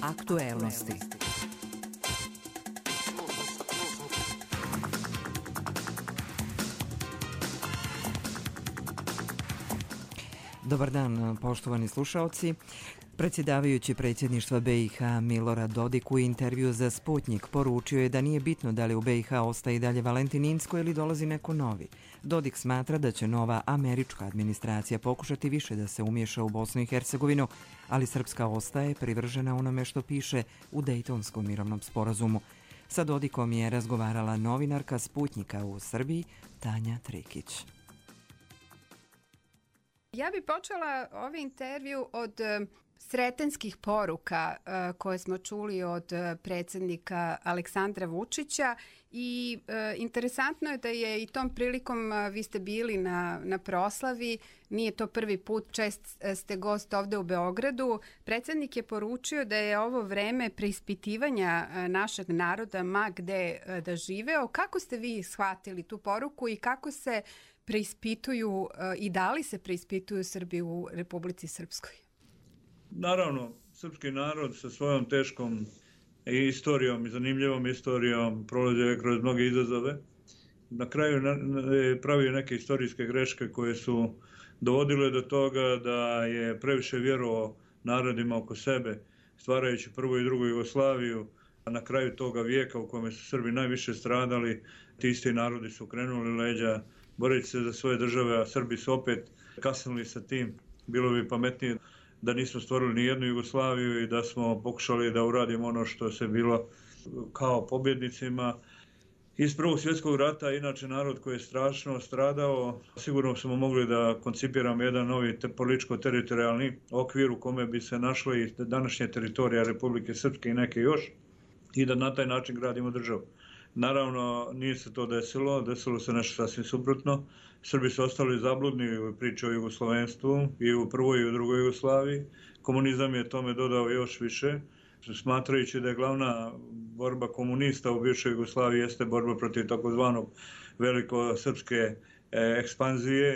Aktuelnosti. Dobar dan, poštovani slušaoci. Predsjedavajući predsjedništva BiH Milorad Dodik u intervju za Sputnjik poručio je da nije bitno da li u BiH ostaje i dalje Valentin Inzko ili dolazi neko novi. Dodik smatra da će nova američka administracija pokušati više da se umiješa u Bosnu i Hercegovinu, ali Srpska ostaje privržena onome što piše u Dejtonskom mirovnom sporazumu. Sa Dodikom je razgovarala novinarka Sputnjika u Srbiji Tanja Trikić. Ja bih počela ovaj intervju od sretenskih poruka koje smo čuli od predsjednika Aleksandra Vučića i interesantno je da je i tom prilikom vi ste bili na proslavi, nije to prvi put, čest ste gost ovde u Beogradu. Predsjednik je poručio da je ovo vreme preispitivanja našeg naroda ma gde da živeo. Kako ste vi shvatili tu poruku i kako se preispituju i da li se preispituju Srbi u Republici Srpskoj? Naravno, srpski narod sa svojom teškom istorijom i zanimljivom istorijom prolazio je kroz mnoge izazove. Na kraju je pravio neke istorijske greške koje su dovodile do toga da je previše vjerovao narodima oko sebe, stvarajući prvu i drugu Jugoslaviju. A na kraju toga vijeka u kome su Srbi najviše stradali, ti isti narodi su krenuli leđa boreći se za svoje države, a Srbi su opet kasnili sa tim. Bilo bi pametnije da nismo stvorili ni jednu Jugoslaviju i da smo pokušali da uradimo ono što se bilo kao pobjednicima. Iz Prvog svjetskog rata, inače narod koji je strašno stradao, sigurno smo mogli da koncipiramo jedan novi političko-teritorijalni okvir u kome bi se našle i današnje teritorija Republike Srpske i neke još i da na taj način gradimo državu. Naravno, nije se to desilo se nešto sasvim suprotno. Srbi su ostali zabludni u priči o jugoslovenstvu i u prvoj i u drugoj Jugoslaviji. Komunizam je tome dodao još više, smatrajući da je glavna borba komunista u bivšoj Jugoslaviji jeste borba protiv takozvanog velikosrpske ekspanzije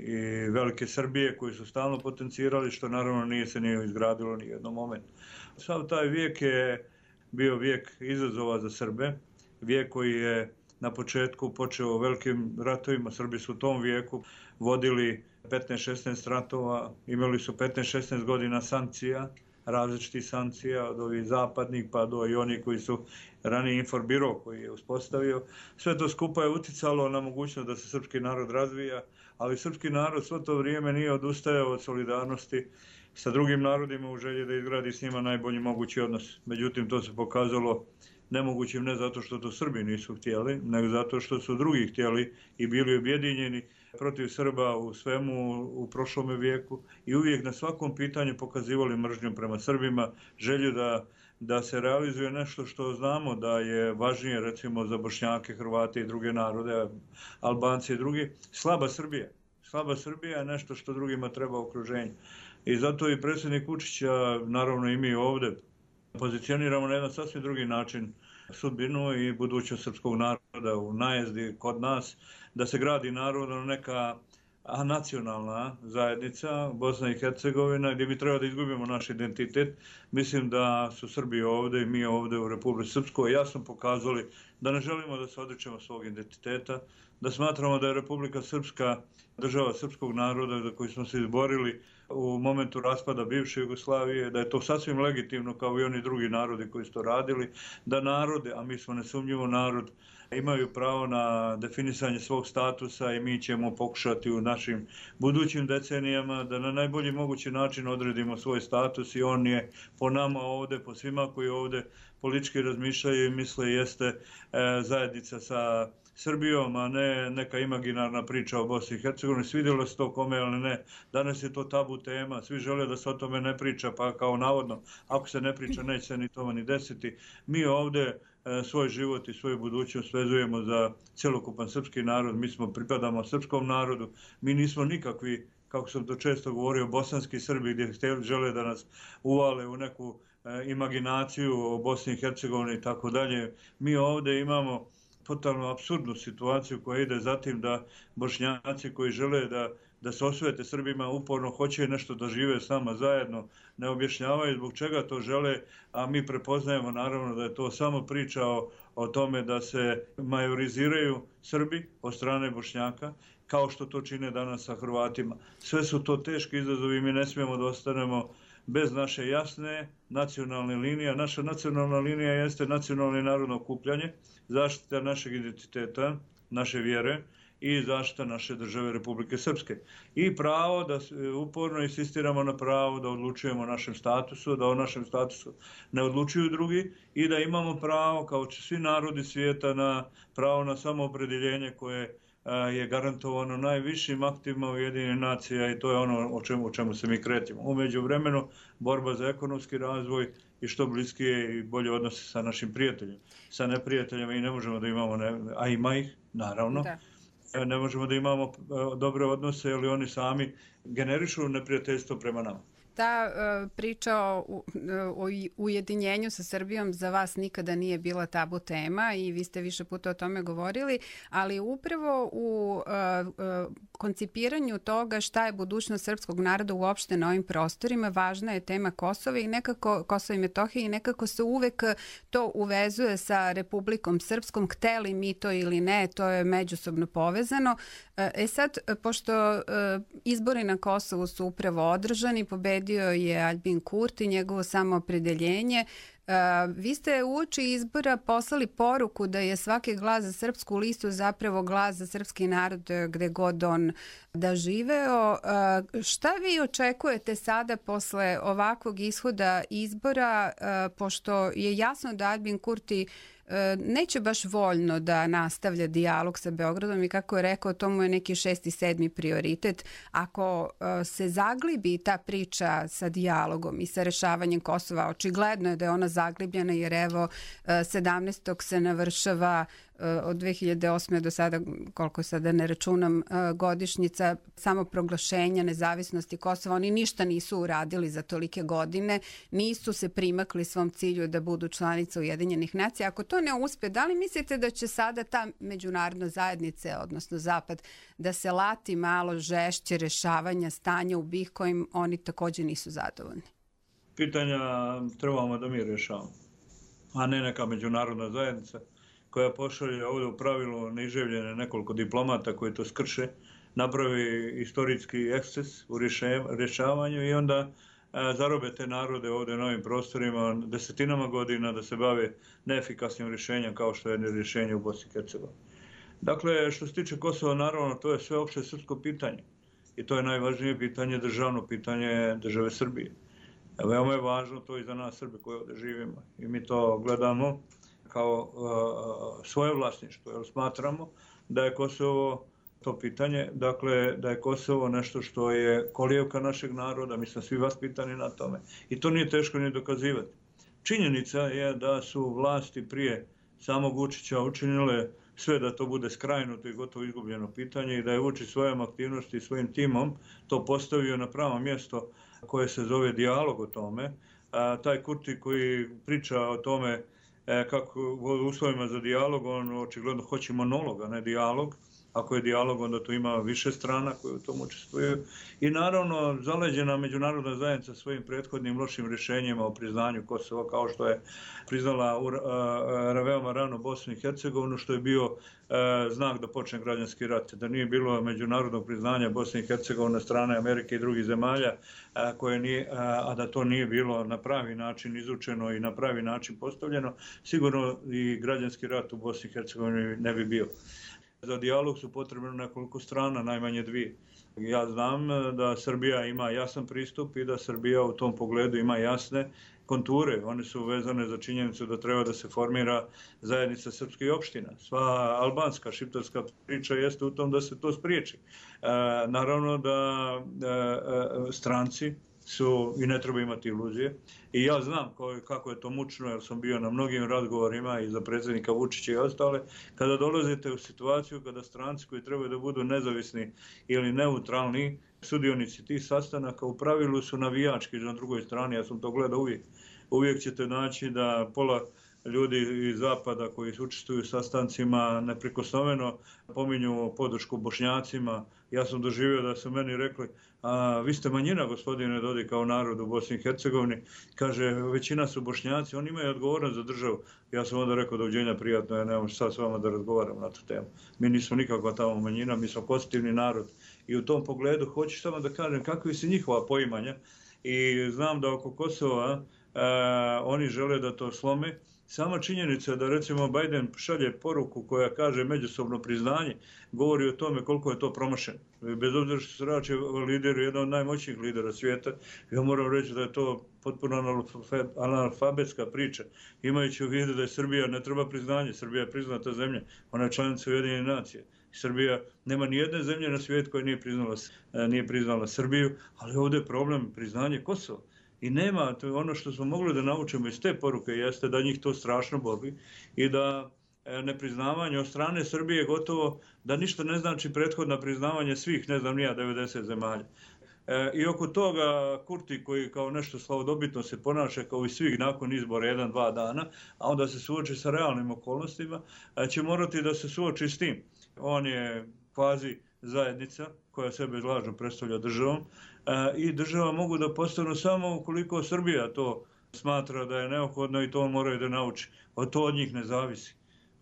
i velike Srbije koji su stalno potencirali, što naravno nije se nije izgradilo ni jednom momentu. Sav taj vijek je bio vijek izazova za Srbe. Vijek koji je na početku počeo velikim ratovima. Srbi su u tom vijeku vodili 15-16 ratova, imali su 15-16 godina sankcija, različitih sankcija, od ovih zapadnih pa do i oni koji su ranije Inforbiro koji je uspostavio. Sve to skupa je uticalo na mogućnost da se srpski narod razvija, ali srpski narod svo to vrijeme nije odustajao od solidarnosti sa drugim narodima u želji da izgradi s njima najbolji mogući odnos. Međutim, to se pokazalo nemogućim ne zato što to Srbi nisu htjeli, nego zato što su drugi htjeli i bili objedinjeni protiv Srba u svemu u prošlome vijeku i uvijek na svakom pitanju pokazivali mržnju prema Srbima, želju da se realizuje nešto što znamo da je važnije recimo za Bošnjake, Hrvate i druge narode, Albance i drugi, slaba Srbija. Slaba Srbija je nešto što drugima treba u okruženju. I zato i predsjednik Vučića, naravno i mi ovdje, pozicioniramo na jedan sasvim drugi način sudbinu i budućnost srpskog naroda u najezdi kod nas, da se gradi narodno neka nacionalna zajednica, Bosna i Hercegovina, gdje bi trebalo da izgubimo naš identitet. Mislim da su Srbi ovdje i mi ovdje u Republici Srpskoj jasno pokazali da ne želimo da se odričemo svog identiteta, da smatramo da je Republika Srpska država srpskog naroda za koji smo se izborili u momentu raspada bivše Jugoslavije, da je to sasvim legitimno kao i oni drugi narodi koji su to radili, da narode, a mi smo nesumnjivo narod, imaju pravo na definisanje svog statusa i mi ćemo pokušati u našim budućim decenijama da na najbolji mogući način odredimo svoj status i on je po nama ovdje, po svima koji ovdje politički razmišljaju i misle jeste zajednica sa Srbijom, a ne neka imaginarna priča o Bosni i Hercegovini. Svidjelo se to kome, ali ne. Danas je to tabu tema. Svi žele da se o tome ne priča, pa kao navodno, ako se ne priča, neće se ni to ni desiti. Mi ovdje svoj život i svoju budućnost vezujemo za cjelokupan srpski narod. Mi pripadamo srpskom narodu. Mi nismo nikakvi, kako sam to često govorio, bosanski Srbi gdje žele da nas uvale u neku imaginaciju o Bosni i Hercegovini i tako dalje. Mi ovdje imamo totalno apsurdnu situaciju koja ide za tim da Bošnjaci koji žele da da se osvete Srbima, uporno hoće nešto da žive s nama zajedno, ne objašnjavaju zbog čega to žele, a mi prepoznajemo naravno da je to samo priča o tome da se majoriziraju Srbi od strane Bošnjaka, kao što to čine danas sa Hrvatima. Sve su to teški izazovi i mi ne smijemo da ostanemo bez naše jasne nacionalne linije. Naša nacionalna linija jeste nacionalno i narodno okupljanje, zaštita našeg identiteta, naše vjere i zaštita naše države Republike Srpske. I pravo da uporno insistiramo na pravo da odlučujemo o našem statusu, da o našem statusu ne odlučuju drugi i da imamo pravo, kao svi narodi svijeta, na pravo na samoopredjeljenje koje je garantovano najvišim aktima Ujedinjenih nacija i to je ono o čemu se mi kretimo. U međuvremenu, borba za ekonomski razvoj i što bliskije i bolje odnose sa našim prijateljima. Sa neprijateljima i ne možemo da imamo, a ima ih, naravno. Da. Ne možemo da imamo dobre odnose, jer oni sami generišu neprijateljstvo prema nama. Ta priča o ujedinjenju sa Srbijom za vas nikada nije bila tabu tema i vi ste više puta o tome govorili, ali upravo u koncipiranju toga šta je budućnost srpskog naroda uopšte na ovim prostorima, važna je tema Kosova i nekako Kosova i Metohije i nekako se uvek to uvezuje sa Republikom Srpskom, hteli mi to ili ne, to je međusobno povezano. Sad, pošto izbori na Kosovu su upravo održani, pobedio je Aljbin Kurti, njegovo samoopredeljenje. Vi ste uoči izbora poslali poruku da je svaki glas za Srpsku listu zapravo glas za srpski narod gde god on da živeo. Šta vi očekujete sada posle ovakvog ishoda izbora, pošto je jasno da Aljbin Kurti neće baš voljno da nastavlja dijalog sa Beogradom i kako je rekao, to mu je neki 6. i 7. prioritet. Ako se zaglibi ta priča sa dijalogom i sa rešavanjem Kosova, očigledno je da je ona zaglibljena jer evo 17. se navršava od 2008. do sada, koliko sada ne računam, godišnjica samoproglašenja nezavisnosti Kosova. Oni ništa nisu uradili za tolike godine, nisu se primakli svom cilju da budu članica Ujedinjenih nacija. Ako to ne uspe, da li mislite da će sada ta međunarodna zajednica, odnosno Zapad, da se lati malo žešće rešavanja stanja u BiH kojim oni također nisu zadovoljni? Pitanja trebamo da mi rešavamo, a ne neka međunarodna zajednica koja pošalje ovdje u pravilu neiživljene nekoliko diplomata koji to skrše, napravi istorijski eksces u rješavanju i onda zarobe te narode ovdje na ovim prostorima desetinama godina da se bave neefikasnim rješenjem kao što je rješenje u Bosni i Hercegovini. Dakle, što se tiče Kosova, naravno, to je sveopšte srpsko pitanje i to je najvažnije pitanje, državno pitanje države Srbije. Veoma je važno to i za nas Srbe koji ovdje živimo i mi to gledamo kao svoje vlasništvo, jer smatramo da je Kosovo to pitanje, dakle da je Kosovo nešto što je kolijevka našeg naroda, mi smo svi vaspitani na tome i to nije teško ni dokazivati. Činjenica je da su vlasti prije samog Vučića učinile sve da to bude skrajnuto i gotovo izgubljeno pitanje i da je Vučić svojom aktivnosti i svojim timom to postavio na pravo mjesto koje se zove dijalog o tome. Taj Kurti koji priča o tome kako u uslovima za dijalog, on očigledno hoće monolog, a ne dijalog. Ako je dijalog, onda to ima više strana koje u tom učestvuju. I naravno, zaleđena međunarodna zajednica svojim prethodnim lošim rješenjima o priznanju Kosova, kao što je priznala veoma rano Bosnu i Hercegovinu, što je bio znak da počne građanski rat. Da nije bilo međunarodnog priznanja Bosne i Hercegovine na strane Amerike i drugih zemalja, a da to nije bilo na pravi način izučeno i na pravi način postavljeno, sigurno i građanski rat u Bosni i Hercegovini ne bi bio. Za dijalog su potrebno nekoliko strana, najmanje dvije. Ja znam da Srbija ima jasan pristup i da Srbija u tom pogledu ima jasne konture. One su vezane za činjenicu da treba da se formira zajednica srpskih opština. Sva albanska, šiptarska priča jeste u tom da se to spriječi. Naravno da stranci su, i ne treba imati iluzije. I ja znam kako je to mučno, jer sam bio na mnogim razgovorima i za predsjednika Vučića i ostale. Kada dolazite u situaciju kada stranci koji trebaju da budu nezavisni ili neutralni, sudionici tih sastanaka u pravilu su navijački na drugoj strani, ja sam to gledao uvijek. Uvijek ćete naći da pola ljudi iz Zapada koji učestvuju u sastancima neprikosnoveno pominju podršku Bošnjacima. Ja sam doživio da su meni rekli, vi ste manjina, gospodine Dodik, kao narod u Bosni i Hercegovini. Kaže, većina su Bošnjaci, oni imaju odgovornost za državu. Ja sam onda rekao, doviđenja, prijatno, ja nemam sad s vama da razgovaram na tu temu. Mi nismo nikakva tamo manjina, mi smo konstitutivni narod. I u tom pogledu hoću samo da kažem kakvi su njihova poimanja. I znam da oko Kosova oni žele da to slome. Sama činjenica da recimo Biden šalje poruku koja kaže međusobno priznanje, govori o tome koliko je to promašeno. Bez obzira što se radi o lideru, jedan od najmoćnijih lidera svijeta, ja moram reći da je to potpuno analfabetska priča, imajući u vidu da je Srbija ne treba priznanje, Srbija je priznata zemlja, ona je članica Ujedinjenih nacija. Srbija, nema ni jedne zemlje na svijetu koja nije priznala Srbiju, ali ovdje je problem priznanje Kosova. I nema, to je ono što smo mogli da naučimo iz te poruke, jeste da njih to strašno boli i da nepriznavanje od strane Srbije gotovo da ništa ne znači prethodna priznavanje svih, ne znam nija, 90 zemalja. I oko toga Kurti koji kao nešto slavodobitno se ponaša kao i svih nakon izbora 1-2 dana, a onda se suoči sa realnim okolnostima, će morati da se suoči s tim. On je kvazi zajednica koja sebe lažno predstavlja državom i država mogu da postanu samo ukoliko Srbija to smatra da je neophodno i to moraju da nauči. To od njih ne zavisi.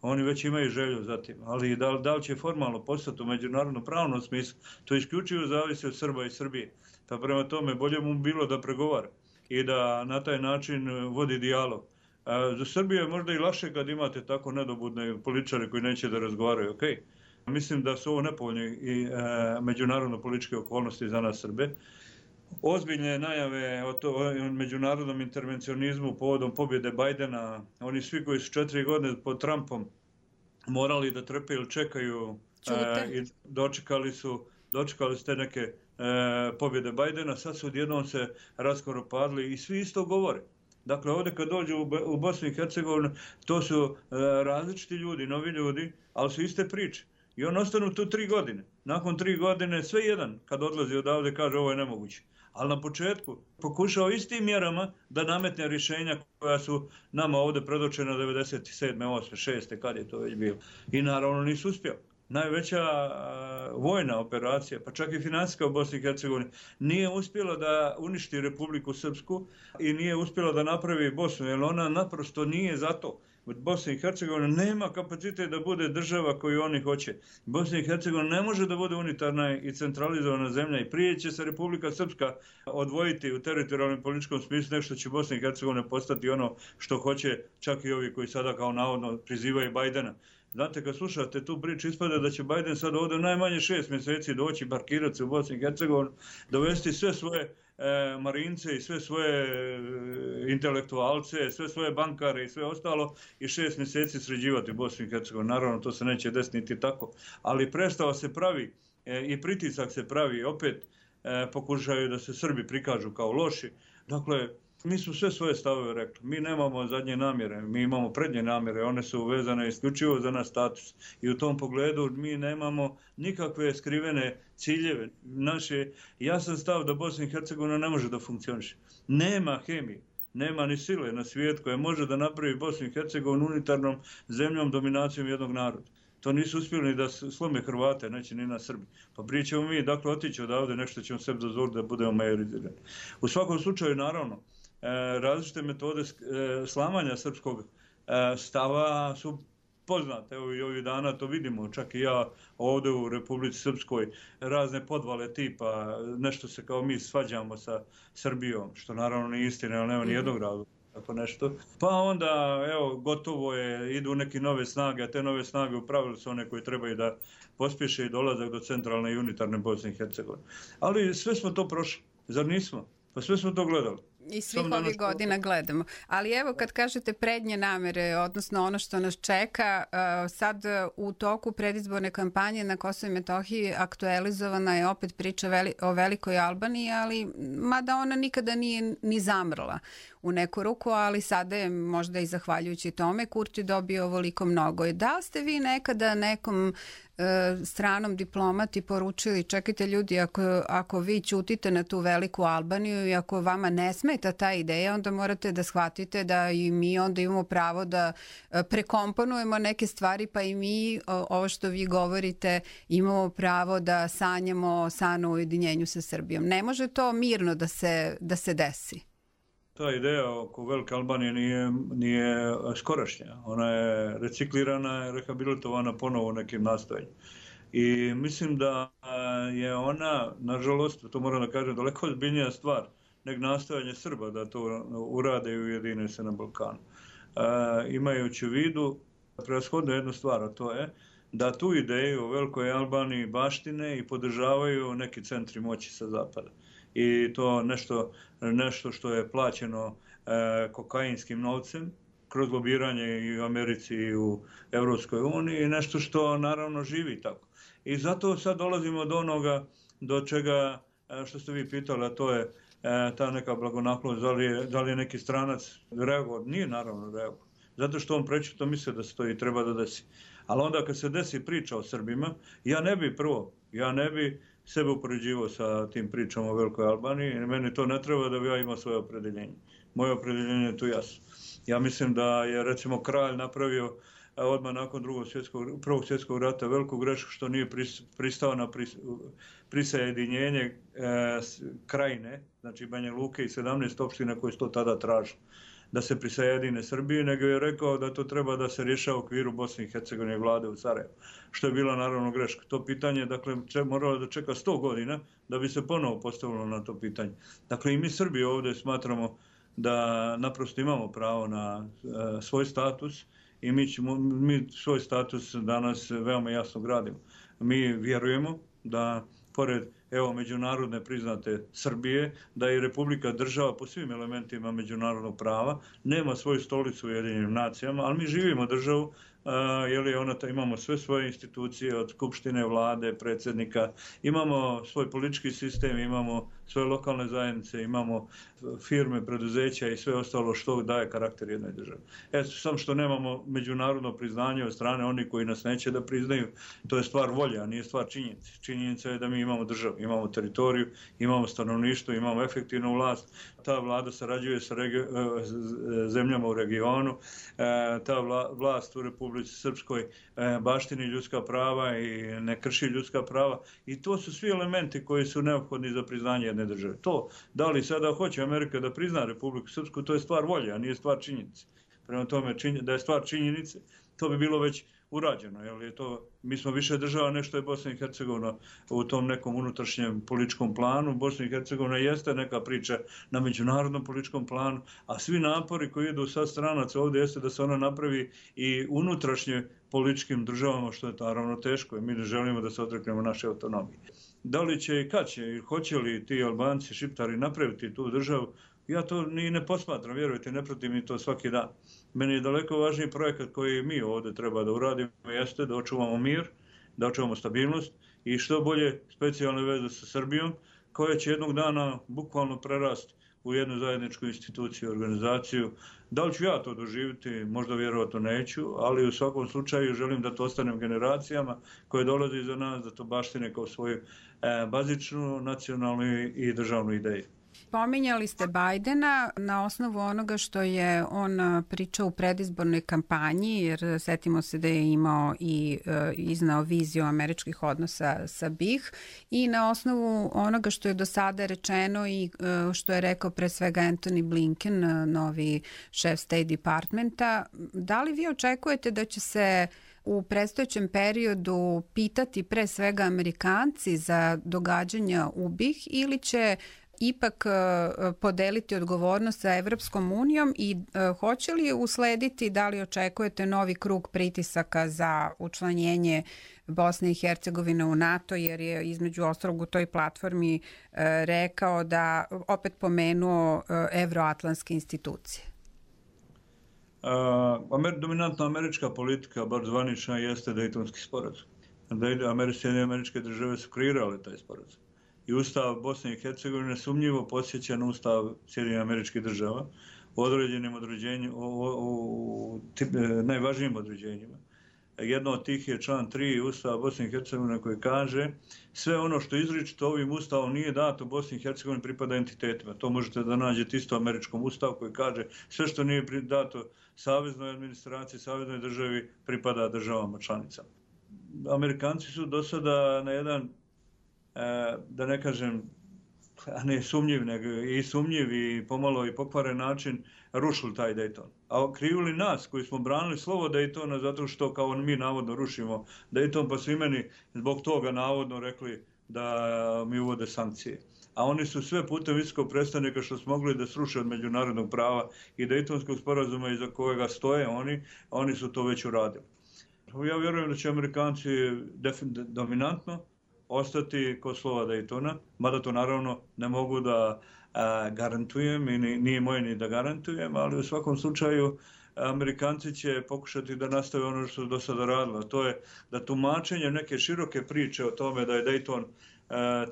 Oni već imaju želju za tim, ali da li će formalno postati u međunarodnom pravnom smislu, to isključivo zavisi od Srba i Srbije. Pa prema tome bolje mu bilo da pregovara i da na taj način vodi dijalog. Za Srbiju je možda i lakše kad imate tako nedobudne političare koji neće da razgovaraju, okej. Mislim da su ovo nepovoljne i međunarodno-političke okolnosti za nas Srbe. Ozbiljne najave o međunarodnom intervencionizmu povodom pobjede Bajdena, oni svi koji su 4 godine pod Trumpom morali da trpe ili čekaju i dočekali su te neke pobjede Bajdena, sad su odjednom se raskoro padli i svi isto govore. Dakle, ovdje kad dođu u Bosnu i Hercegovinu, to su različiti ljudi, novi ljudi, ali su iste priče. I on ostanu tu 3 godine. Nakon 3 godine sve jedan kad odlazi odavde kaže ovo je nemoguće. Ali na početku pokušao istim mjerama da nametne rješenja koja su nama ovdje predočena 97. 8. 6. kad je to već bilo. I naravno nisu uspjeli. Najveća vojna operacija, pa čak i financijska u Bosni i Hercegovini, nije uspjela da uništi Republiku Srpsku i nije uspjela da napravi Bosnu, jer ona naprosto nije za to. Bosna i Hercegovina nema kapacitet da bude država koju oni hoće. Bosna i Hercegovina ne može da bude unitarna i centralizovana zemlja i prije će se Republika Srpska odvojiti u teritorijalnom političkom smislu nešto će Bosna i Hercegovina postati ono što hoće čak i ovi koji sada kao navodno prizivaju Bajdena. Znate, kad slušate tu priču, ispada da će Bajden sad ovdje najmanje 6 mjeseci doći, parkirati se u Bosni i Hercegovini, dovesti sve svoje marince i sve svoje intelektualce, sve svoje bankare i sve ostalo i 6 mjeseci sređivati u Bosni i Hercegovini. Naravno, to se neće desiti niti tako, ali predstava se pravi i pritisak se pravi, opet pokušaju da se Srbi prikažu kao loši. Dakle, mi smo sve svoje stavove rekli. Mi nemamo zadnje namjere, mi imamo prednje namjere, one su vezane isključivo za naš status. I u tom pogledu mi nemamo nikakve skrivene ciljeve. Naš je jasan stav da Bosna i Hercegovina ne može da funkcioniše. Nema hemije, nema ni sile na svijet koja može da napravi Bosnu i Hercegovinu unitarnom zemljom dominacijom jednog naroda. To nisu uspjeli ni da slome Hrvate, neće ni na Srbi. Pa prije ćemo mi, dakle, otići odavde, nešto ćemo sebi dozvoliti da budemo majorizirani. U svakom slučaju, naravno, različite metode slamanja srpskog stava su poznate. Evo i ovih dana to vidimo, čak i ja ovdje u Republici Srpskoj, razne podvale tipa, nešto se kao mi svađamo sa Srbijom, što naravno nije istina, ali nema ni jednog razloga. Tako nešto. Pa onda, evo, gotovo je, idu neke nove snage, a te nove snage u pravilu su one koji trebaju da pospješe i dolazak do centralne i unitarne Bosne i Hercegovine. Ali sve smo to prošli, zar nismo? Pa sve smo to gledali. I svih ovih godina gledamo. Ali evo kad kažete prednje namere, odnosno ono što nas čeka, sad u toku predizborne kampanje na Kosovo i Metohiji aktualizovana je opet priča o Velikoj Albaniji, ali mada ona nikada nije ni zamrla u neku ruku, ali sada je možda i zahvaljujući tome Kurti dobio ovoliko mnogo. Da li ste vi nekada nekom stranom diplomati poručili čekajte ljudi, ako vi ćutite na tu veliku Albaniju i ako vama ne smeta ta ideja, onda morate da shvatite da i mi onda imamo pravo da prekomponujemo neke stvari, pa i mi, ovo što vi govorite, imamo pravo da sanjamo san o ujedinjenju sa Srbijom. Ne može to mirno da se desi. Ta ideja oko Velike Albanije nije skorašnja. Ona je reciklirana, rehabilitovana ponovo nekim nastojanjem. I mislim da je ona, nažalost, to moram da kažem, daleko ozbiljnija stvar nego nastojanje Srba da to urade i ujedine se na Balkanu. Imajući u vidu prevashodno jednu stvar, a to je da tu ideju o Velikoj Albaniji baštine i podržavaju neki centri moći sa zapada. I to nešto što je plaćeno kokainskim novcem kroz lobiranje i u Americi i u Evropskoj uniji i nešto što naravno živi tako. I zato sad dolazimo do onoga do čega što ste vi pitali, a to je ta neka blagonaklonost, da li je neki stranac reagovao. Nije naravno reagovao. Zato što on prečito misle da se to i treba da desi. Ali onda kad se desi priča o Srbima, ja ne bi sebe upoređivao sa tim pričama o Velikoj Albaniji i meni to ne treba da bi ja imao svoje opredeljenje. Moje opredeljenje je tu jasno. Ja mislim da je recimo kralj napravio odmah nakon Prvog svjetskog rata veliku grešku što nije pristao na prisajedinjenje krajine, znači Banja Luke i 17 opština koje su to tada tražili da se prisajedine Srbiji, nego je rekao da to treba da se rješava u okviru Bosne i Hercegovine i vlade u Sarajevu, što je bila naravno greška. To pitanje, dakle, moralo da čeka 100 godina da bi se ponovo postavilo na to pitanje. Dakle, i mi Srbi ovdje smatramo da naprosto imamo pravo na svoj status i mi svoj status danas veoma jasno gradimo. Mi vjerujemo da pored međunarodne priznate Srbije, da je Republika država po svim elementima međunarodnog prava, nema svoju stolicu u Ujedinjenim nacijama, ali mi živimo državu, imamo sve svoje institucije od skupštine, vlade, predsjednika, imamo svoj politički sistem, imamo svoje lokalne zajednice, imamo firme, preduzeća i sve ostalo što daje karakter jednoj državi. Samo što nemamo međunarodno priznanje od strane onih koji nas neće da priznaju, to je stvar volje, a nije stvar činjenice. Činjenica je da mi imamo državu, imamo teritoriju, imamo stanovništvo, imamo efektivnu vlast, ta vlada sarađuje sa zemljama u regionu, ta vlast u Republici Srpskoj baštini ljudska prava i ne krši ljudska prava i to su svi elementi koji su neophodni za priznanje jedne države. To, da li sada hoće Amerika da prizna Republiku Srpsku, to je stvar volje, a nije stvar činjenice. Prema tome, da je stvar činjenice, to bi bilo već urađeno. Mi smo više država nešto je Bosna i Hercegovina u tom nekom unutrašnjem političkom planu. Bosna i Hercegovina jeste neka priča na međunarodnom političkom planu, a svi napori koji idu sa stranaca ovdje jeste da se ona napravi i unutrašnje političkim državama, što je naravno teško i mi ne želimo da se odreknemo naše autonomije. Da li će i kad će, i hoće li ti Albanci, Šiptari napraviti tu državu, ja to ni ne posmatram, vjerujte, ne pratim mi to svaki dan. Meni je daleko važniji projekat koji mi ovdje treba da uradimo jeste da očuvamo mir, da očuvamo stabilnost i što bolje specijalne veze sa Srbijom, koja će jednog dana bukvalno prerasti u jednu zajedničku instituciju, organizaciju. Da li ću ja to doživjeti, možda vjerovatno neću, ali u svakom slučaju želim da to ostanem generacijama koje dolaze iza nas, da to baštine kao svoju bazičnu, nacionalnu i državnu ideju. Pominjali ste Bajdena na osnovu onoga što je on pričao u predizbornoj kampanji, jer setimo se da je imao i iznao viziju američkih odnosa sa BiH i na osnovu onoga što je do sada rečeno i što je rekao pre svega Antony Blinken, novi šef State Departmenta, da li vi očekujete da će se u predstojećem periodu pitati pre svega Amerikanci za događanja u BiH ili će ipak podeliti odgovornost sa Evropskom unijom i hoće li uslediti, da li očekujete novi krug pritisaka za učlanjenje Bosne i Hercegovine u NATO, jer je između ostalog u toj platformi rekao da opet pomenuo evroatlantske institucije? Dominantna američka politika, bar zvanična, jeste Dejtonski sporazum. Američke države su kreirale taj sporazum. I ustav Bosne i Hercegovine sumnjivo podsjeća na ustav Sjedinjenih Američkih Država u određenim određenjima, u najvažnijim određenjima. Jedno od tih je član 3 Ustava Bosne i Hercegovine koji kaže sve ono što izričito ovim Ustavom nije dato Bosni i Hercegovini pripada entitetima. To možete da nađete isto u američkom Ustavu koji kaže sve što nije dato saveznoj administraciji, saveznoj državi pripada državama članicama. Amerikanci su do sada na jedan, da ne kažem, a ne sumnjiv, nego i sumnjiv i pomalo i pokvaren način rušili taj Dayton. A krivili nas koji smo branili slovo Daytona zato što kao mi navodno rušimo Dayton, pa su i meni zbog toga navodno rekli da mi uvode sankcije. A oni su sve putem visokog predstavnika što su mogli da sruše od međunarodnog prava i Daytonskog sporazuma iza kojega stoje oni su to već uradili. Ja vjerujem da će Amerikanci dominantno ostati kod slova Daytona, mada to naravno ne mogu da garantujem i nije moje ni da garantujem, ali u svakom slučaju Amerikanci će pokušati da nastave ono što su do sada radilo. To je da tumačenje neke široke priče o tome da je Dayton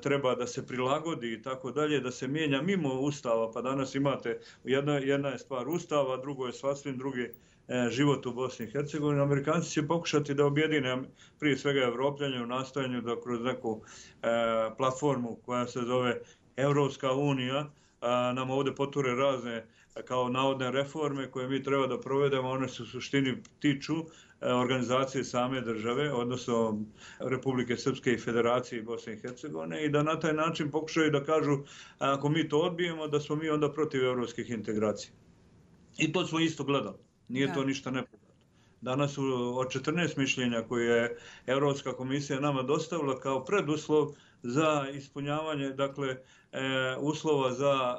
treba da se prilagodi i tako dalje, da se mijenja mimo Ustava, pa danas imate jedna je stvar Ustava, drugo je sasvim drugi život u Bosni i Hercegovini. Amerikanci će pokušati da objedine prije svega Evropljanje u nastojanju da kroz neku platformu koja se zove Evropska unija nam ovdje poture razne kao navodne reforme koje mi treba da provedemo, one se u suštini tiču organizacije same države, odnosno Republike Srpske i Federacije Bosne i Hercegovine i da na taj način pokušaju da kažu ako mi to odbijemo da smo mi onda protiv evropskih integracija. I to smo isto gledali. Nije to ništa nepoznato. Danas od 14 mišljenja koje je Evropska komisija nama dostavila kao preduslov za ispunjavanje, dakle, uslova za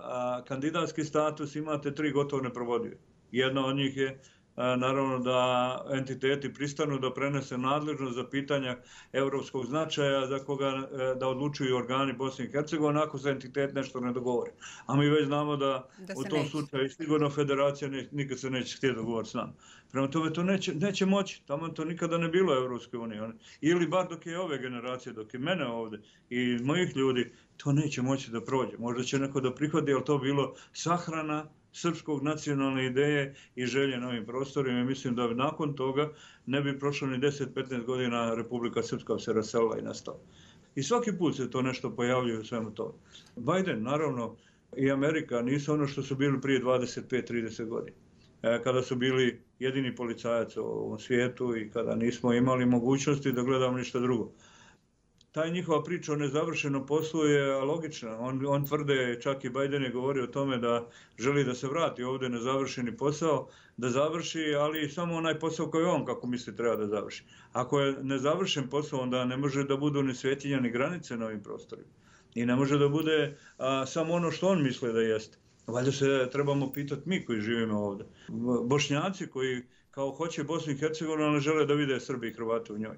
kandidatski status, imate 3 gotovo neprovodive. Jedna od njih je naravno da entiteti pristanu da prenese nadležnost za pitanja evropskog značaja za koga da odlučuju organi Bosne i Hercegovine ako se entitet nešto ne dogovori. A mi već znamo da u tom slučaju sigurno federacija nikad se neće htjeti dogovoriti s nama. Prema tome to neće moći, tamo to nikada ne bilo Evropske unije. Ili bar dok je ove generacije, dok je mene ovdje i mojih ljudi, to neće moći da prođe. Možda će neko da prihvati, ali to bilo sahrana srpskog nacionalne ideje i želje na ovim prostorima. Mislim da nakon toga ne bi prošlo ni 10-15 godina Republika Srpska se raselila i nastala. I svaki put se to nešto pojavljuje u svemu tome. Biden, naravno, i Amerika nisu ono što su bili prije 25-30 godina. Kada su bili jedini policajac u ovom svijetu i kada nismo imali mogućnosti da gledamo ništa drugo. Taj njihova priča o nezavršenom poslu je logična. On tvrde, čak i Biden je govorio o tome da želi da se vrati ovdje nezavršeni posao, da završi, ali samo onaj posao koji on, kako misli, treba da završi. Ako je nezavršen posao, onda ne može da budu ni svjetinja ni granice na ovim prostorima. I ne može da bude samo ono što on misli da jeste. Valjda se trebamo pitati mi koji živimo ovdje. Bošnjaci koji kao hoće Bosnu i Hercegovinu, ali žele da vide Srbi i Hrvati u njoj.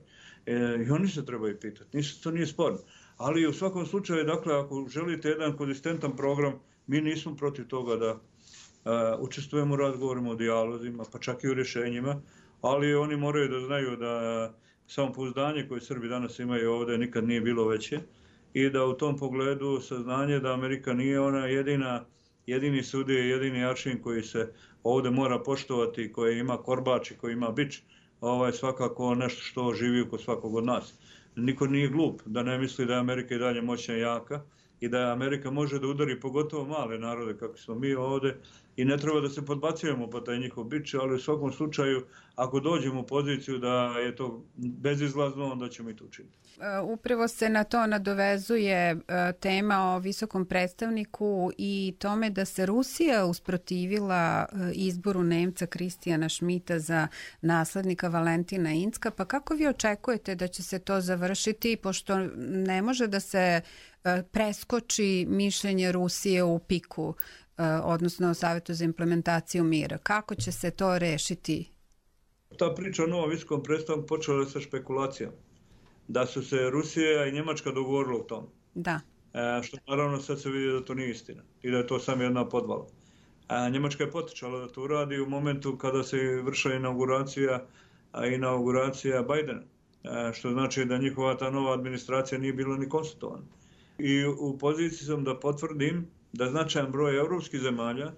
I oni se trebaju pitati, to nije sporno. Ali u svakom slučaju, dakle, ako želite jedan konzistentan program, mi nismo protiv toga da učestvujemo u razgovorima, o dijalozima, pa čak i u rješenjima, ali oni moraju da znaju da samopouzdanje koje Srbi danas imaju ovdje nikad nije bilo veće i da u tom pogledu saznanje da Amerika nije ona jedini sudija, jedini aršin koji se ovdje mora poštovati, koji ima korbač i koji ima bič, svakako nešto što živi kod svakog od nas. Niko nije glup da ne misli da je Amerika i dalje moćna i jaka i da Amerika može da udari pogotovo male narode kako smo mi ovdje i ne treba da se podbacujemo po taj njihov bič, ali u svakom slučaju ako dođemo u poziciju da je to bezizlazno, onda ćemo i to učiniti. Upravo se na to nadovezuje tema o visokom predstavniku i tome da se Rusija usprotivila izboru Nemca Kristijana Šmita za naslednika Valentina Incka. Pa kako vi očekujete da će se to završiti, pošto ne može da se preskoči mišljenje Rusije u PIK-u, odnosno Savjetu za implementaciju mira? Kako će se to rešiti? Ta priča o novom visokom predstavniku počela sa špekulacijama. Da su se Rusija i Njemačka dogovorili o tom. Da. Što naravno sad se vidi da to nije istina i da je to samo jedna podvala. Njemačka je potičala da to uradi u momentu kada se vršila inauguracija Bidena. Što znači da njihova ta nova administracija nije bila ni konsultovana. I u poziciji sam da potvrdim da značajan broj evropskih zemalja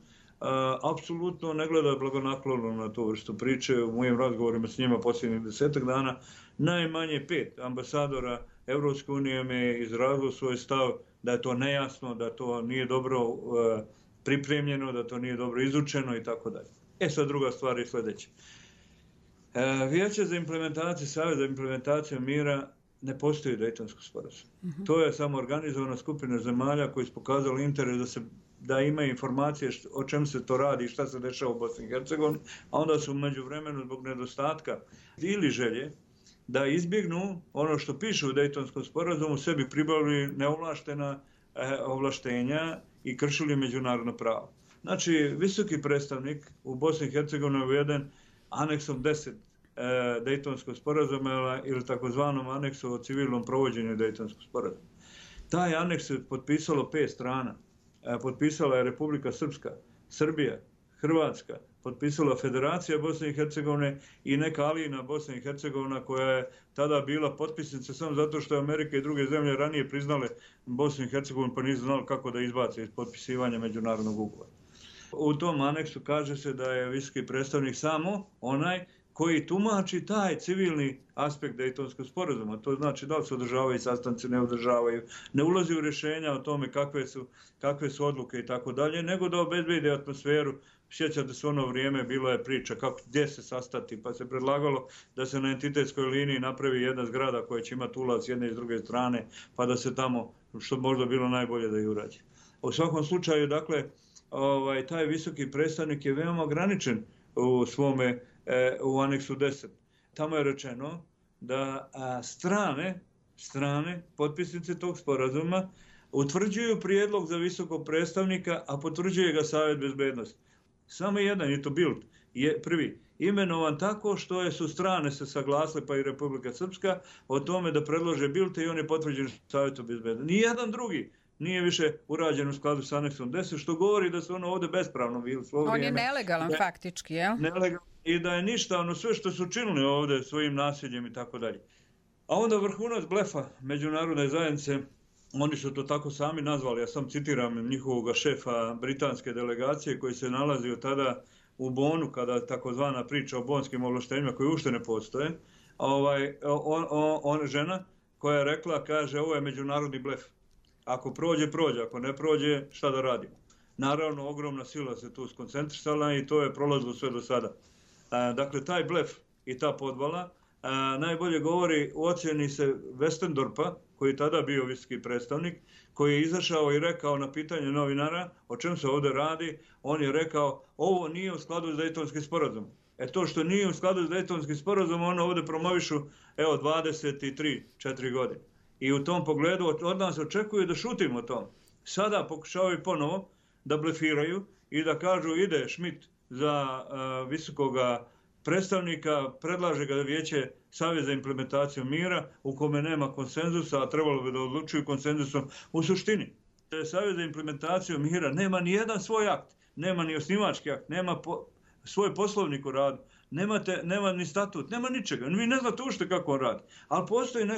apsolutno ne gleda blagonaklono na tu vrstu priče. U mojim razgovorima s njima posljednjih 10 dana najmanje 5 ambasadora Evropske unije me je izrazilo svoj stav da je to nejasno, da to nije dobro pripremljeno, da to nije dobro izučeno i tako dalje. Sad druga stvar je sljedeća. Vijeće za implementaciju, Savez za implementaciju mira ne postoji Dejtonsko sporazum. To je samo organizovana skupina zemalja koji su pokazali interes da imaju informacije o čem se to radi i šta se dešava u Bosni i Hercegovini, a onda su među vremenu zbog nedostatka ili želje da izbjegnu ono što piše u Dejtonskom sporazumu, sebi pribavili neovlaštena ovlaštenja i kršili međunarodno pravo. Znači, visoki predstavnik u Bosni i Hercegovini je uveden aneksom 10 Dejtonskog sporazuma ili takozvanom aneksu o civilnom provođenju Dejtonskog sporazuma. Taj aneks je potpisalo 5 strana. Potpisala je Republika Srpska, Srbija, Hrvatska, potpisala Federacija Bosne i Hercegovine i neka alina Bosne i Hercegovina koja je tada bila potpisnica samo zato što je Amerika i druge zemlje ranije priznale Bosnu i Hercegovinu pa nisu znali kako da izbace iz potpisivanja međunarodnog ugovora. U tom aneksu kaže se da je visoki predstavnik samo onaj koji tumači taj civilni aspekt Dejtonskog sporazuma. To znači da li se održavaju sastanci, ne održavaju, ne ulazi u rješenja o tome kakve su odluke i tako dalje, nego da obezbedi atmosferu. Sjećate se ono vrijeme, bilo je priča gdje se sastati, pa se predlagalo da se na entitetskoj liniji napravi jedna zgrada koja će imati ulaz s jedne i s druge strane, pa da se tamo, što možda bilo najbolje da je urađe. U svakom slučaju, dakle, taj visoki predstavnik je veoma ograničen u aneksu 10. Tamo je rečeno da strane potpisnice tog sporazuma utvrđuju prijedlog za visokog predstavnika, a potvrđuje ga Savjet bezbednosti. Samo jedan, je to Bild, je prvi imenovan tako što su strane se saglasile, pa i Republika Srpska, o tome da predlože Bilde i on je potvrđen Savjetu bezbednosti. Nijedan drugi nije više urađen u skladu s aneksom 10, što govori da su ono ovdje bespravno bili. On je nelegalan faktički, jel? Nelegalan i da je ništa, sve što su činili ovdje svojim nasiljem i tako dalje. A onda vrhunac blefa međunarodne zajednice, oni su to tako sami nazvali, ja sam citiram njihovog šefa britanske delegacije koji se nalazio tada u Bonu, kada takozvana priča o bonskim ovlaštenjima koji uopšte ne postoje, žena koja je rekla, kaže, ovo je međunarodni blef. Ako prođe, prođe, ako ne prođe, šta da radimo? Naravno, ogromna sila se tu skoncentrisala i to je prolazilo sve do sada. Dakle, taj blef i ta podvala najbolje govori u ocjeni se Westendorpa, koji je tada bio visoki predstavnik, koji je izašao i rekao na pitanje novinara o čem se ovdje radi, on je rekao ovo nije u skladu s Dejtonskim sporazumom. To što nije u skladu s Dejtonskim sporazumom, ono ovdje promovišu 23-4 godine. I u tom pogledu od nas očekuju da šutimo o tom. Sada pokušavaju ponovo da blefiraju i da kažu ide Schmidt za visokoga predstavnika, predlaže ga Vijeće Saveza za implementaciju mira u kome nema konsenzusa, a trebalo bi da odlučuju konsenzusom. U suštini, Savez za implementaciju mira nema ni jedan svoj akt, nema ni osnivački akt, nema svoj poslovnik u radu, nema ni statut, nema ničega. Vi ne znate ušte kako on radi. Ali postoji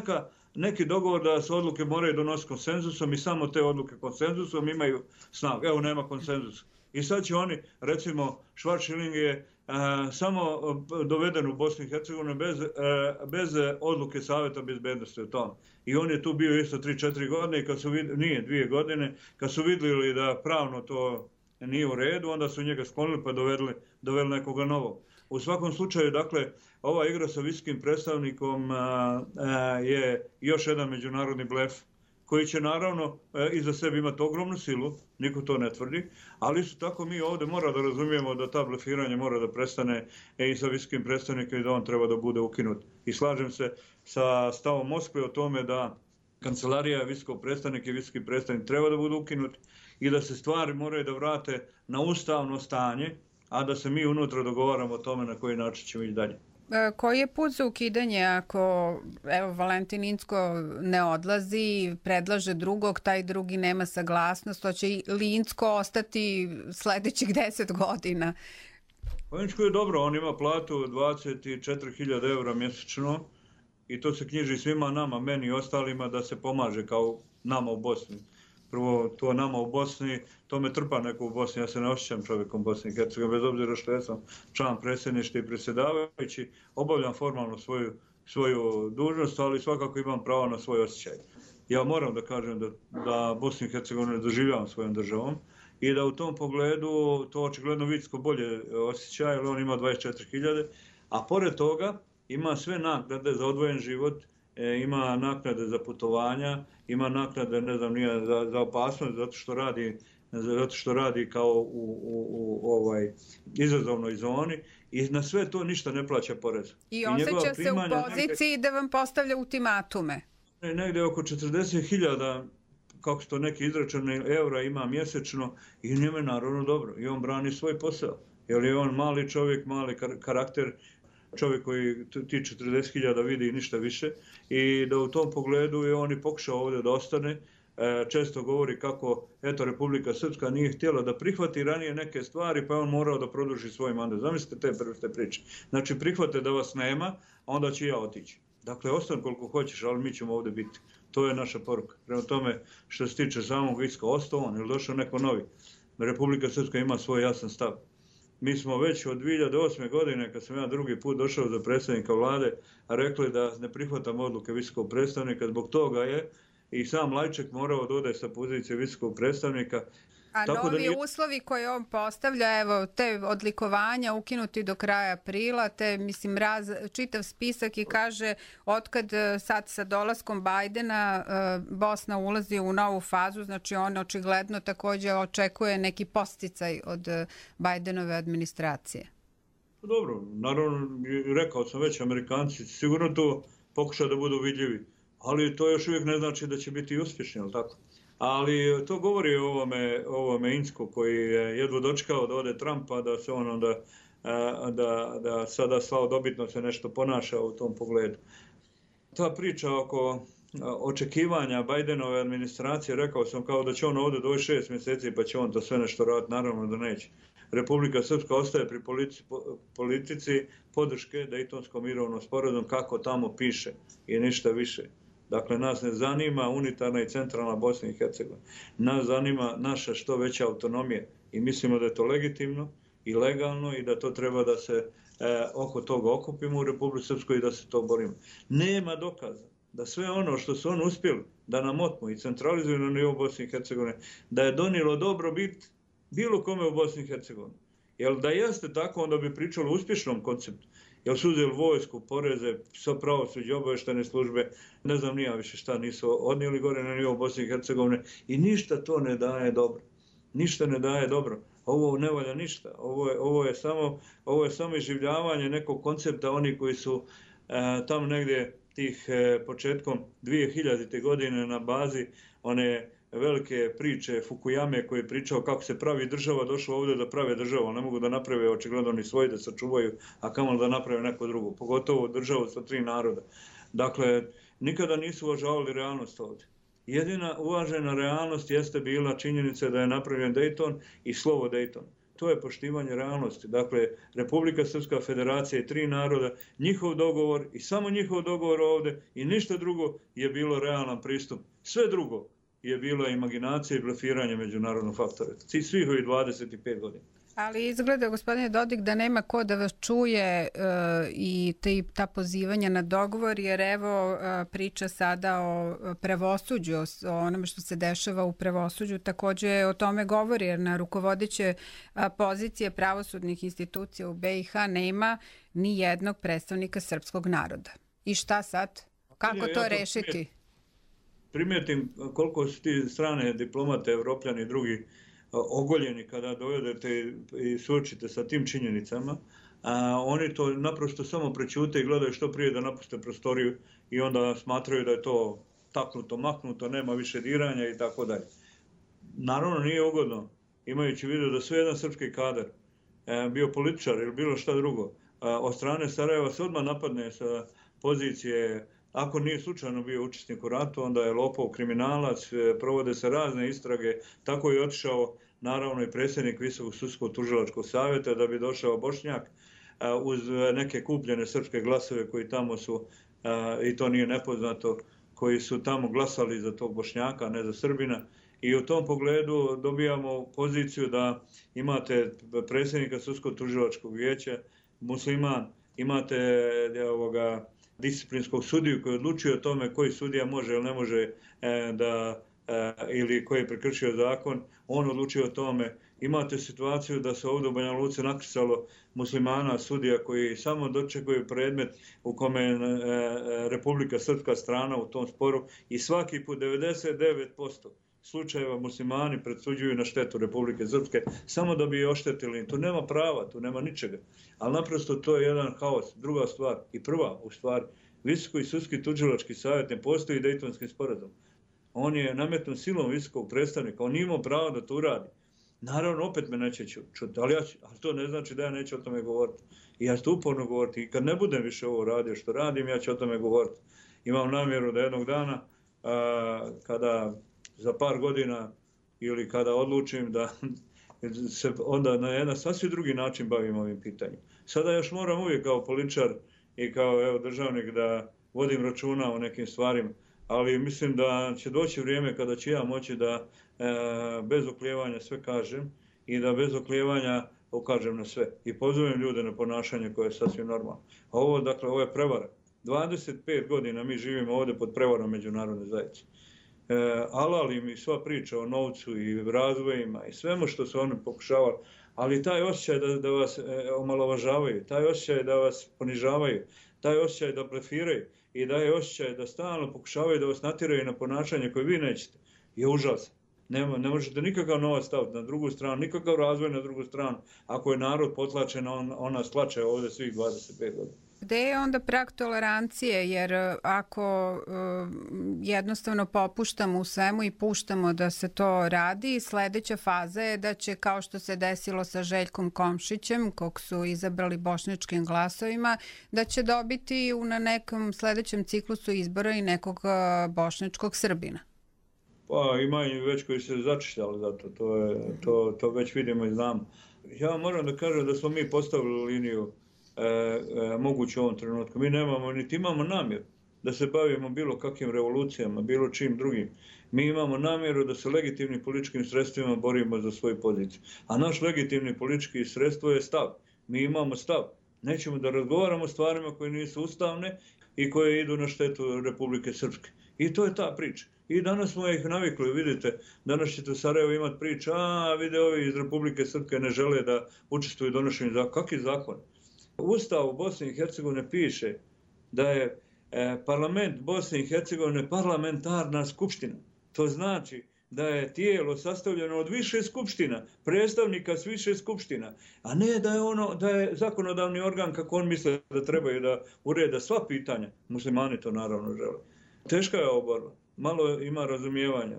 neki dogovor da se odluke moraju donositi konsenzusom i samo te odluke konsenzusom imaju snagu. Evo, nema konsenzusa. I sad će oni, recimo, Schwarzschild je samo doveden u Bosnu i Hercegovinu bez odluke Savjeta bezbednosti o tom. I on je tu bio isto 3-4 godine i nije 2 godine, kad su vidjeli da pravno to nije u redu, onda su njega sklonili pa doveli nekoga novog. U svakom slučaju, dakle, ova igra sa visokim predstavnikom je još jedan međunarodni blef koji će naravno iza sebe imati ogromnu silu, niko to ne tvrdi, ali isto tako mi ovdje mora da razumijemo da ta blefiranje mora da prestane i sa visokim predstavnikom i da on treba da bude ukinut. I slažem se sa stavom Moskve o tome da kancelarija visokog predstavnika i visoki predstavnik treba da budu ukinuti i da se stvari moraju da vrate na ustavno stanje, a da se mi unutra dogovaramo o tome na koji način ćemo ići dalje. Koji je put za ukidanje ako Valentin Incko ne odlazi, predlaže drugog, taj drugi nema saglasnost, to će li Incko ostati sljedećih 10 godina? Incko je dobro, on ima platu 24.000 eura mjesečno i to se knjiži svima nama, meni i ostalima da se pomaže kao nama u Bosni. Prvo, to nama u Bosni, to me trpa neko u Bosni, ja se ne osjećam čovjekom Bosni i Hercegovine, bez obzira što ja sam član predsjedništva i predsjedavajući, obavljam formalno svoju dužnost, ali svakako imam pravo na svoj osjećaj. Ja moram da kažem da Bosnu i Hercegovinu ne doživljavam svojom državom i da u tom pogledu to očigledno Vicko bolje osjeća, jer on ima 24.000, a pored toga ima sve naknade za odvojen život, ima naknade za putovanja, ima naknade, ne znam, nije za opasnost, zato što radi kao u izazovnoj zoni i na sve to ništa ne plaća porez. I osjeća se u poziciji da vam postavlja ultimatume. Negde oko 40.000, kako su to neki izračuni, eura ima mjesečno i njemu je naravno dobro. I on brani svoj posao. Jer je on mali čovjek, mali karakter, čovjek koji ti 40.000 vidi i ništa više. I da u tom pogledu je on i pokušao ovdje da ostane. Često govori kako Republika Srpska nije htjela da prihvati ranije neke stvari, pa je on morao da produži svoj mandat. Zamislite te priče. Znači prihvate da vas nema, onda ću ja otići. Dakle, ostane koliko hoćeš, ali mi ćemo ovdje biti. To je naša poruka. Prema tome, što se tiče samog Vicka, ostao on ili došao neko novi. Republika Srpska ima svoj jasan stav. Mi smo već od 2008. godine, kad sam ja drugi put došao za predsjednika vlade, rekli da ne prihvatamo odluke visokog predstavnika. Zbog toga je i sam Lajček morao da ode sa pozicije visokog predstavnika. A novi uslovi koje on postavlja, evo, te odlikovanja ukinuti do kraja aprila, te, mislim, čitav spisak i kaže otkad sad sa dolaskom Bajdena Bosna ulazi u novu fazu, znači on očigledno također očekuje neki posticaj od Bajdenove administracije. Dobro, naravno, rekao sam već, Amerikanci sigurno to pokušaju da budu vidljivi, ali to još uvijek ne znači da će biti uspješni, ali tako? Ali to govori o ovome Insku koji je jedva dočekao da ode Trumpa, da se on onda da sada slavodobitno se nešto ponaša u tom pogledu. Ta priča oko očekivanja Bajdenove administracije, rekao sam kao da će on ovdje doći 6 mjeseci pa će on to sve nešto raditi, naravno da neće. Republika Srpska ostaje pri politici podrške Dejtonskom mirovnom sporazumom kako tamo piše i ništa više. Dakle, nas ne zanima unitarna i centralna Bosna i Hercegovina. Nas zanima naša što veća autonomija i mislimo da je to legitimno i legalno i da to treba da se oko toga okupimo u Republici Srpskoj i da se to borimo. Nema dokaza da sve ono što su oni uspjeli da nam otmu i centralizuju na nivou Bosne i Hercegovine, da je donijelo dobrobit bilo kome u Bosni i Hercegovini. Jer da jeste tako, onda bi pričalo o uspješnom konceptu. Jer su uzeli vojsku, poreze, pravosuđe, obavještajne službe, ne znam nija više šta nisu odnijeli gore na nivou Bosne i Hercegovine i ništa to ne daje dobro. Ništa ne daje dobro. Ovo ne valja ništa. Ovo je samo iživljavanje nekog koncepta, oni koji su tamo negdje tih početkom 2000. godine na bazi one velike priče Fukuyame koji je pričao kako se pravi država, došlo ovdje da prave državu, ne mogu da naprave očigledno ni svoji da sačuvaju, a kamoli da naprave neko drugo, pogotovo državu sa 3 naroda. Dakle, nikada nisu uvažavali realnost ovdje. Jedina uvažena realnost jeste bila činjenica da je napravljen Dayton i slovo Dayton. To je poštivanje realnosti. Dakle, Republika Srpska, Federacija i 3 naroda, njihov dogovor i samo njihov dogovor ovdje i ništa drugo je bilo realan pristup. Sve drugo je bila imaginacija i blefiranje međunarodnog faktora. Svih ovih 25 godina. Ali izgleda, gospodine Dodik, da nema ko da vas čuje i ta pozivanja na dogovor, jer evo priča sada o pravosuđu, o onome što se dešava u pravosuđu, također o tome govori, jer na rukovodeće pozicije pravosudnih institucija u BiH nema ni jednog predstavnika srpskog naroda. I šta sad? Kako to rešiti? Primijetim koliko su ti strane diplomate, evropljani i drugi ogoljeni kada dovedete i suočite sa tim činjenicama, oni to naprosto samo prećute i gledaju što prije da napuste prostoriju i onda smatraju da je to taknuto, maknuto, nema više diranja i tako dalje. Naravno nije ugodno, imajući vidio da sve jedan srpski kadar, bio političar ili bilo šta drugo, od strane Sarajeva se odmah napadne sa pozicije. Ako nije slučajno bio učesnik u ratu, onda je lopov, kriminalac, provode se razne istrage. Tako je otišao naravno i predsjednik Visokog sudskog tužilačkog savjeta da bi došao Bošnjak uz neke kupljene srpske glasove koji tamo su, i to nije nepoznato, koji su tamo glasali za tog Bošnjaka, ne za Srbina. I u tom pogledu dobijamo poziciju da imate predsjednika Sudsko-tužilačkog vijeća, musliman, imate disciplinskog sudiju koji odlučuje o tome koji sudija može ili ne može ili koji je prekršio zakon, on odlučuje o tome. Imate situaciju da se ovdje u Banja Luci nakrcalo muslimana, sudija koji samo dočekuju predmet u kome je Republika Srpska strana u tom sporu i svaki put 99% slučajeva muslimani presuđuju na štetu Republike Srpske samo da bi je oštetili. Tu nema prava, tu nema ničega. Ali naprosto to je jedan haos. Druga stvar i prva u stvari, Visoki sudski tužilački savjet ne postoji Dejtonski sporazum. On je nametnut silom visokog predstavnika, on nije imao pravo da to uradi. Naravno, opet me neće čuti, ali to ne znači da ja neću o tome govoriti. I ja ću to uporno govoriti. I kad ne budem više ovo radio što radim, ja ću o tome govoriti. Imam namjeru da jednog dana, kada za par godina ili kada odlučim da se onda na jedan sasvim drugi način bavim ovim pitanjem. Sada još moram uvijek kao političar i kao državnik da vodim računa o nekim stvarima, ali mislim da će doći vrijeme kada ću ja moći da bez oklijevanja sve kažem i da bez oklijevanja ukažem na sve. I pozovem ljude na ponašanje koje je sasvim normalno. Ovo je prevara. 25 godina mi živimo ovdje pod prevarom međunarodne zajednice. Alali mi sva priča o novcu i razvojima i svemu što su oni pokušavali, ali taj osjećaj da vas omalovažavaju, taj osjećaj da vas ponižavaju, taj osjećaj da blefiraju i da je osjećaj da stalno pokušavaju da vas natjeraju na ponašanje koje vi nećete, je užasan. Ne možete nikakav novac staviti na drugu stranu, nikakav razvoj na drugu stranu, ako je narod potlačen, on nas tlače ovdje svih 25 godina. Gde je onda prag tolerancije, jer ako jednostavno popuštamo u svemu i puštamo da se to radi, sledeća faza je da će, kao što se desilo sa Željkom Komšićem, kog su izabrali bošnjačkim glasovima, da će dobiti na nekom sledećem ciklusu izbora i nekog bošnjačkog Srbina. Pa ima i već koji se začišćali za to već vidimo i znamo. Ja moram da kažem da smo mi postavili liniju moguće u ovom trenutku. Mi nemamo, niti imamo namjeru da se bavimo bilo kakvim revolucijama, bilo čim drugim. Mi imamo namjeru da se legitimnim političkim sredstvima borimo za svoju poziciju. A naš legitimni politički sredstvo je stav. Mi imamo stav. Nećemo da razgovaramo o stvarima koje nisu ustavne i koje idu na štetu Republike Srpske. I to je ta priča. I danas smo ih navikli, vidite, danas ćete u Sarajevu imati priču, vide ovi iz Republike Srpske ne žele da učestvuju u donošenju zakona. Kakvi zakon? U Ustavu Bosne i Hercegovine piše da je parlament Bosne i Hercegovine parlamentarna skupština. To znači da je tijelo sastavljeno od više skupština, predstavnika s više skupština, a ne da je zakonodavni organ kako on misle da trebaju da ureda sva pitanja. Muslimani to naravno žele. Teška je ova borba. Malo ima razumijevanja.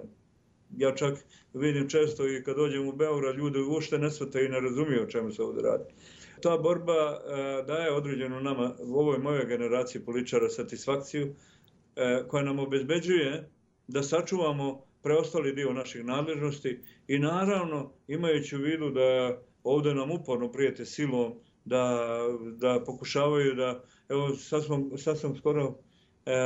Ja čak vidim često i kad dođem u Beograd, ljudi uopšte ne shvataju i ne razumiju o čemu se ovdje radi. Ta borba daje određenu nama, u ovoj mojoj generaciji političara, satisfakciju koja nam obezbeđuje da sačuvamo preostali dio naših nadležnosti i naravno imajući u vidu da ovdje nam uporno prijete silom, da pokušavaju da, evo sad sam skoro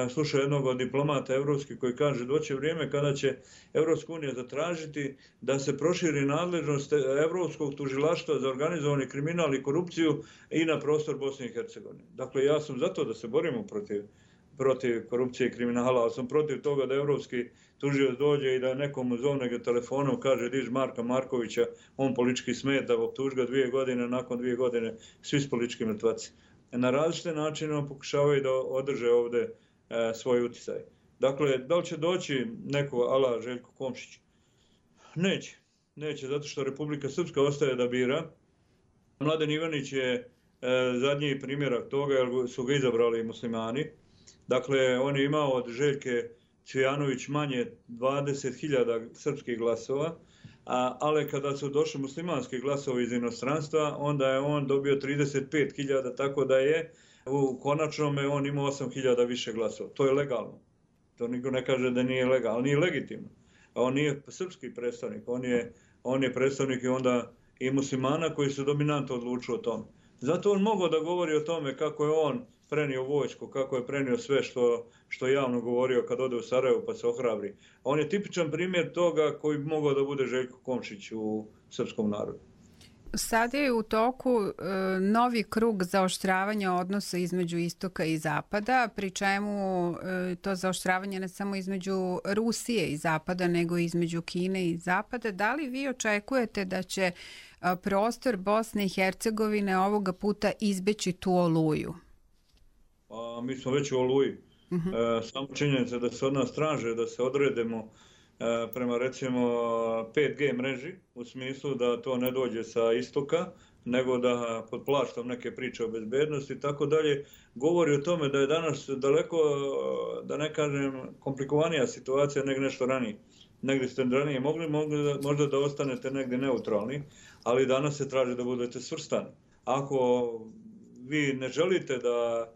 slušao jednog od diplomata evropskih koji kaže doće vrijeme kada će Evropska unija zatražiti da se proširi nadležnost Evropskog tužilaštva za organizovani kriminal i korupciju i na prostor Bosne i Hercegovine. Dakle, ja sam zato da se borimo protiv korupcije i kriminala, ali sam protiv toga da evropski tužioc dođe i da nekom zovne ga telefonom kaže diž Marka Markovića, on politički smeta, optuži ga 2 godine, nakon 2 godine svi s politički mrtvaci. Na različite načine pokušavaju da održe ovdje svoj uticaj. Dakle, da li će doći neko ala Željko Komšić? Neće, zato što Republika Srpska ostaje da bira. Mladen Ivanić je zadnji primjerak toga, jer su ga izabrali muslimani. Dakle, on je imao od Željke Cvijanović manje 20.000 srpskih glasova, ali kada su došli muslimanski glasovi iz inostranstva, onda je on dobio 35.000, tako da je u konačnome on imao 8.000 više glasova. To je legalno. To niko ne kaže da nije legalno, ali nije legitimno. A on nije srpski predstavnik, on je predstavnik i onda i muslimana koji su dominantno odlučili o tome. Zato on mogao da govori o tome kako je on prenio vojsku, kako je prenio sve što je javno govorio kad ode u Sarajevo pa se ohrabri. On je tipičan primjer toga koji bi mogao da bude Željko Komšić u srpskom narodu. Sad je u toku novi krug zaoštravanja odnosa između istoka i zapada, pri čemu to zaoštravanje ne samo između Rusije i zapada, nego i između Kine i zapada. Da li vi očekujete da će prostor Bosne i Hercegovine ovoga puta izbeći tu oluju? Pa, mi smo već u oluji. Samo činjenica da se od nas traže da se odredemo prema recimo 5G mreži, u smislu da to ne dođe sa istoka, nego da pod plaštom neke priče o bezbednosti i tako dalje, govori o tome da je danas daleko, da ne kažem, komplikovanija situacija nego nešto ranije. Negdje ste ranije mogli možda da ostanete negdje neutralni, ali danas se traži da budete svrstani. Ako vi ne želite da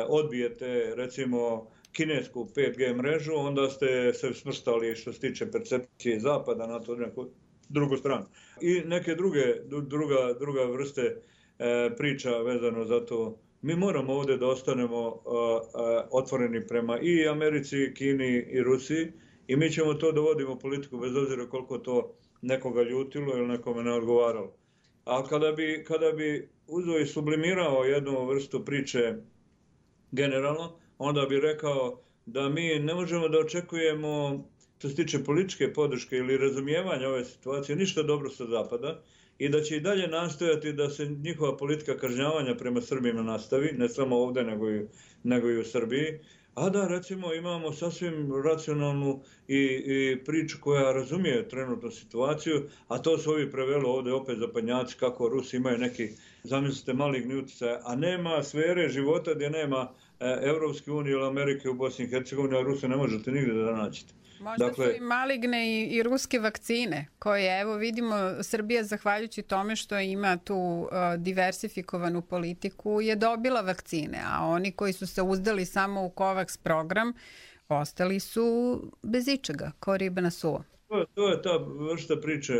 odbijete recimo kinesku 5G mrežu, onda ste se smrstali što se tiče percepcije zapada na to neku drugu stranu. I neke druga vrste priča vezano za to. Mi moramo ovdje da ostanemo otvoreni prema i Americi, i Kini, i Rusiji i mi ćemo to da vodimo politiku bez obzira koliko to nekoga ljutilo ili nekome ne odgovaralo. A kada bi uzeo i sublimirao jednu vrstu priče generalno, onda bi rekao da mi ne možemo da očekujemo, što se tiče političke podrške ili razumijevanja ove situacije, ništa dobro sa zapada i da će i dalje nastojati da se njihova politika kažnjavanja prema Srbima nastavi, ne samo ovdje nego i u Srbiji, a da recimo imamo sasvim racionalnu i priču koja razumije trenutnu situaciju, a to su ovi prevelo ovdje opet zapadnjaci kako Rusi imaju neki, zamislite, maligni utjecaj, a nema sfere života gdje nema Evropske unije ili Amerike u Bosni i Hercegovini, a Rusi ne možete nigdje da nađete. Možda su i maligne i ruske vakcine, koje, evo vidimo, Srbija, zahvaljujući tome što ima tu diversifikovanu politiku, je dobila vakcine, a oni koji su se uzdali samo u COVAX program, ostali su bez ičega, ko riba na suvo. To je ta vrsta priče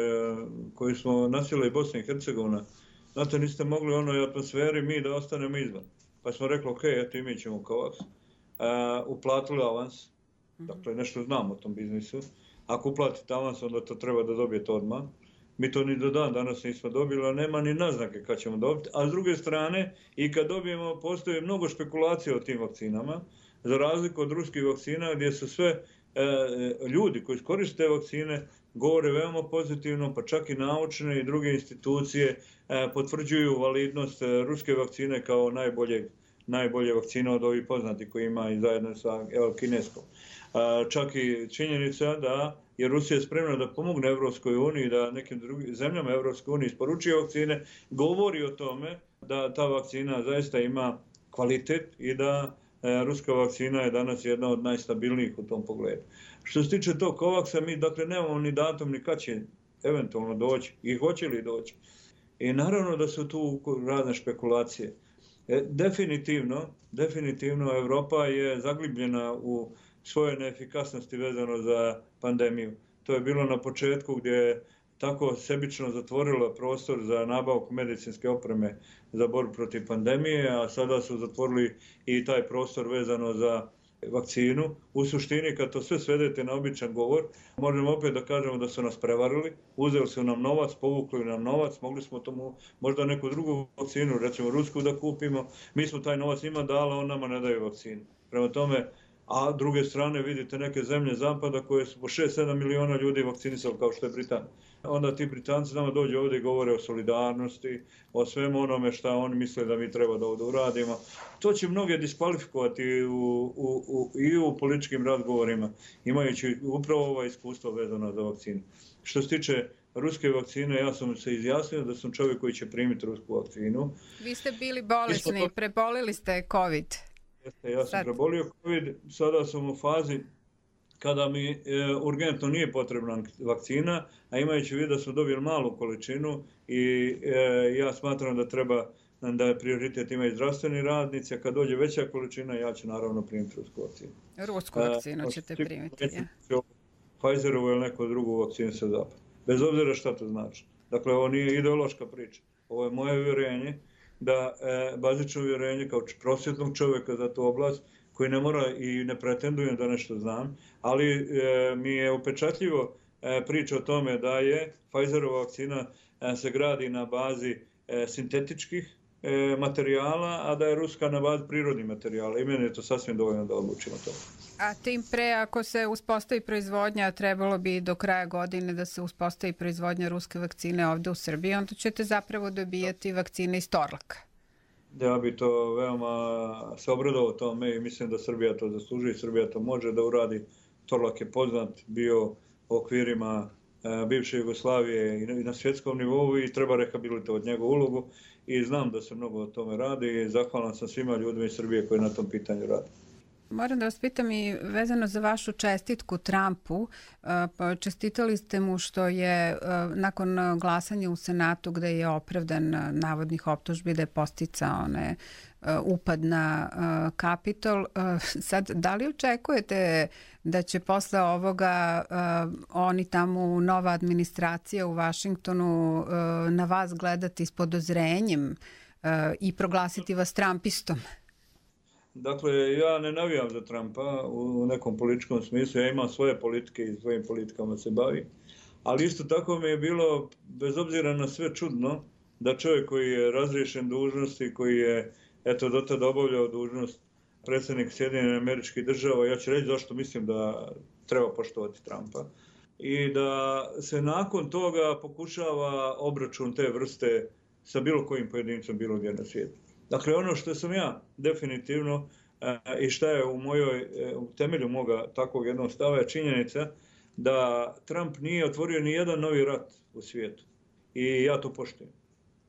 koju smo nasjela i Bosna i Hercegovina. Znate, niste mogli u onoj atmosferi mi da ostanemo izvan. Pa smo rekli, ok, eto i mi ćemo COVAX. Uplatili avans. Dakle, nešto znam o tom biznisu. Ako uplatite avans, onda to treba da dobijete odmah. Mi to ni do dan danas nismo dobili, a nema ni naznake kad ćemo dobiti. A s druge strane, i kad dobijemo, postoji mnogo špekulacija o tim vakcinama, za razliku od ruskih vakcina, gdje su sve ljudi koji koriste vakcine govore veoma pozitivno, pa čak i naučne i druge institucije potvrđuju validnost ruske vakcine kao najbolje vakcine od ovih poznatih koji ima i zajedno sa kineskom. Čak i činjenica da je Rusija spremna da pomogne Evropskoj uniji, da nekim drugim zemljama Evropske unije isporučuje vakcine, govori o tome da ta vakcina zaista ima kvalitet i da ruska vakcina je danas jedna od najstabilnijih u tom pogledu. Što se tiče tog COVAX-a, mi dakle nemamo ni datum ni kad će eventualno doći i hoće li doći. I naravno da su tu razne špekulacije. Definitivno Evropa je zaglibljena u svoje neefikasnosti vezano za pandemiju. To je bilo na početku gdje je tako sebično zatvorila prostor za nabavku medicinske opreme za borbu protiv pandemije, a sada su zatvorili i taj prostor vezano za vakcinu. U suštini, kad to sve svedete na običan govor, možemo opet da kažemo da su nas prevarili, uzeli su nam novac, povukli nam novac, mogli smo tomu možda neku drugu vakcinu, recimo rusku, da kupimo. Mi smo taj novac njima dali, on nama ne daju vakcinu. Prema tome, a druge strane vidite neke zemlje zapada koje su po 6-7 miliona ljudi vakcinisali kao što je Britanija. Onda ti Britanci nama dođu ovdje i govore o solidarnosti, o svemu onome što oni misle da mi treba da ovdje uradimo. To će mnoge diskvalifikovati i u političkim razgovorima, imajući upravo ovo iskustvo vezano za vakcinu. Što se tiče ruske vakcine, ja sam se izjasnio da sam čovjek koji će primiti rusku vakcinu. Vi ste bili bolesni, prebolili ste COVID. Ja sam prebolio COVID, sada sam u fazi kada mi urgentno nije potrebna vakcina, a imajući vidio da smo dobili malu količinu i ja smatram da je prioritet imaju zdravstveni radnici, a kad dođe veća količina, ja ću naravno primiti rusku vakcinu. Rusku vakcinu ćete primiti, ja. Pfizerovu ili neku drugu vakcinu sa zapada. Bez obzira šta to znači. Dakle, ovo nije ideološka priča. Ovo je moje uvjerenje da bazično uvjerenje kao prosvjetnog čovjeka za tu oblast, koji ne mora i ne pretendujem da nešto znam, ali mi je upečatljivo priča o tome da je Pfizerova vakcina se gradi na bazi sintetičkih materijala, a da je ruska na bazi prirodnih materijala. I meni je to sasvim dovoljno da odlučimo to. A tim pre, ako se uspostavi proizvodnja, trebalo bi do kraja godine da se uspostavi proizvodnja ruske vakcine ovde u Srbiji, onda ćete zapravo dobijati vakcine iz Torlaka. Ja bi to veoma se obradovao tome i mislim da Srbija to zaslužuje i Srbija to može da uradi. Torlak je poznat bio u okvirima bivše Jugoslavije i na svjetskom nivou i treba rehabilitovati njegovu ulogu i znam da se mnogo o tome radi i zahvalan sam svima ljudima iz Srbije koji na tom pitanju rade. Moram da vas pitam i vezano za vašu čestitku Trumpu. Čestitali ste mu što je nakon glasanja u Senatu gde je opravdan navodnih optužbi da je posticao upad na Kapitol. Sad, da li očekujete da će posle ovoga oni tamo, nova administracija u Vašingtonu, na vas gledati s podozrenjem i proglasiti vas Trumpistom? Dakle, ja ne navijam za Trumpa u nekom političkom smislu, ja imam svoje politike i svojim politikama se bavim, ali isto tako mi je bilo, bez obzira na sve, čudno da čovjek koji je razriješen dužnosti, koji je do tada obavljao dužnost predsjednik Sjedinjenih Američkih Država, ja ću reći zašto mislim da treba poštovati Trumpa, i da se nakon toga pokušava obračun te vrste sa bilo kojim pojedincom bilo gdje na svijetu. Dakle, ono što sam ja definitivno i šta je u temelju moga takvog jednog stava je činjenica da Trump nije otvorio ni jedan novi rat u svijetu. I ja to poštujem.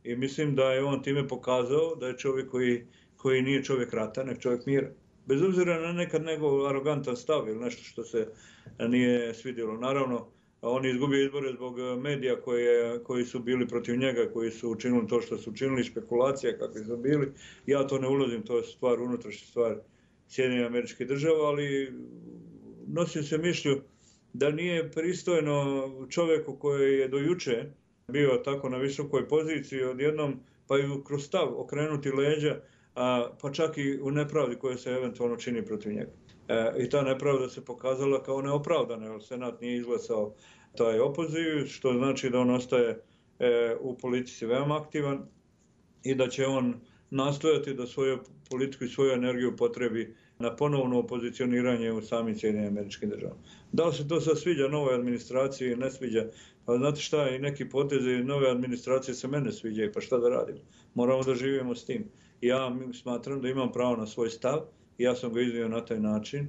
I mislim da je on time pokazao da je čovjek koji nije čovjek rata, nek čovjek mira. Bez obzira na nekad njegov arogantan stav ili nešto što se nije svidjelo. Naravno, on je izgubio izbore zbog medija koji su bili protiv njega, koji su učinili to što su učinili, špekulacija kakvi su bili. Ja to ne ulazim, to je stvar, unutrašnja stvar Sjedinjenih Američkih Država, ali nosim se mišlju da nije pristojno čovjeku koji je do juče bio tako na visokoj poziciji odjednom, pa i kroz stav okrenuti leđa, pa čak i u nepravdi koja se eventualno čini protiv njega. I ta nepravda se pokazala kao neopravdana, jer Senat nije izglasao taj opoziv, što znači da on ostaje u politici veoma aktivan i da će on nastojati da svoju politiku i svoju energiju potrebi na ponovno opozicioniranje u samim Sjedinjenim Američkim Državama. Da li se to sad sviđa novoj administraciji ili ne sviđa? Pa znate šta, i neki potezi nove administracije se mene sviđaju, pa šta da radimo? Moramo da živimo s tim. Ja smatram da imam pravo na svoj stav i ja sam ga iznio na taj način.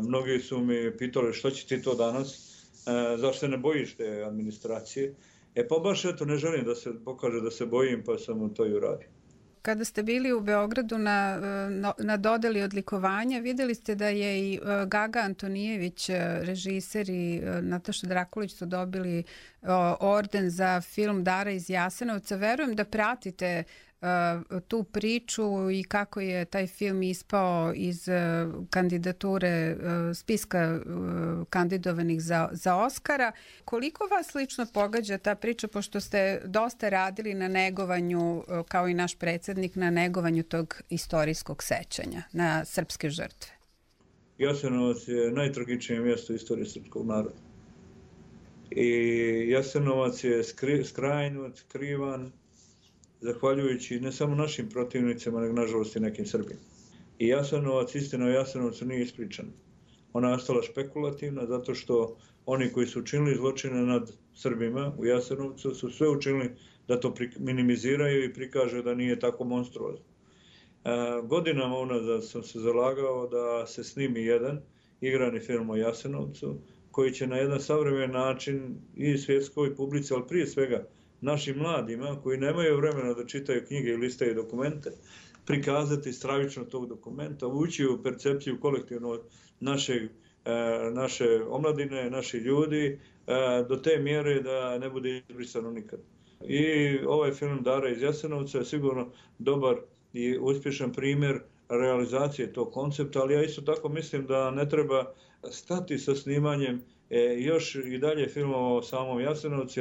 Mnogi su mi pitali što će ti to danas, zašto se ne bojiš te administracije? Pa baš ne želim da se pokaže da se bojim, pa sam to i uradio. Kada ste bili u Beogradu na dodeli odlikovanja, videli ste da je i Gaga Antonijević, režiser, i Nataša Drakulić su dobili orden za film Dara iz Jasenovca. Verujem da pratite tu priču i kako je taj film ispao iz kandidature, spiska kandidovanih za Oskara. Koliko vas lično pogađa ta priča, pošto ste dosta radili na negovanju, kao i naš predsjednik, na negovanju tog istorijskog sećanja na srpske žrtve? Jasenovac je najtragičnije mjesto istorije srpskog naroda. I Jasenovac je skrajnut, krivan, zahvaljujući ne samo našim protivnicima, nego nažalost i nekim Srbima. I Jasenovac, istina o Jasenovcu nije ispričana. Ona je ostala špekulativna zato što oni koji su učinili zločine nad Srbima u Jasenovcu su sve učinili da to minimiziraju i prikažu da nije tako monstruozno. Godinama unazad sam se zalagao da se snimi jedan igrani film o Jasenovcu koji će na jedan savremen način i svjetskoj publici, ali prije svega našim mladima koji nemaju vremena da čitaju knjige i listaju dokumente, prikazati stravično tog dokumenta, ući u percepciju kolektivno naše omladine, naših ljudi, do te mjere da ne bude izbrisano nikad. I ovaj film Dara iz Jasenovca je sigurno dobar i uspješan primjer realizacije tog koncepta, ali ja isto tako mislim da ne treba stati sa snimanjem Još i dalje filmova o samom Jasenovcu,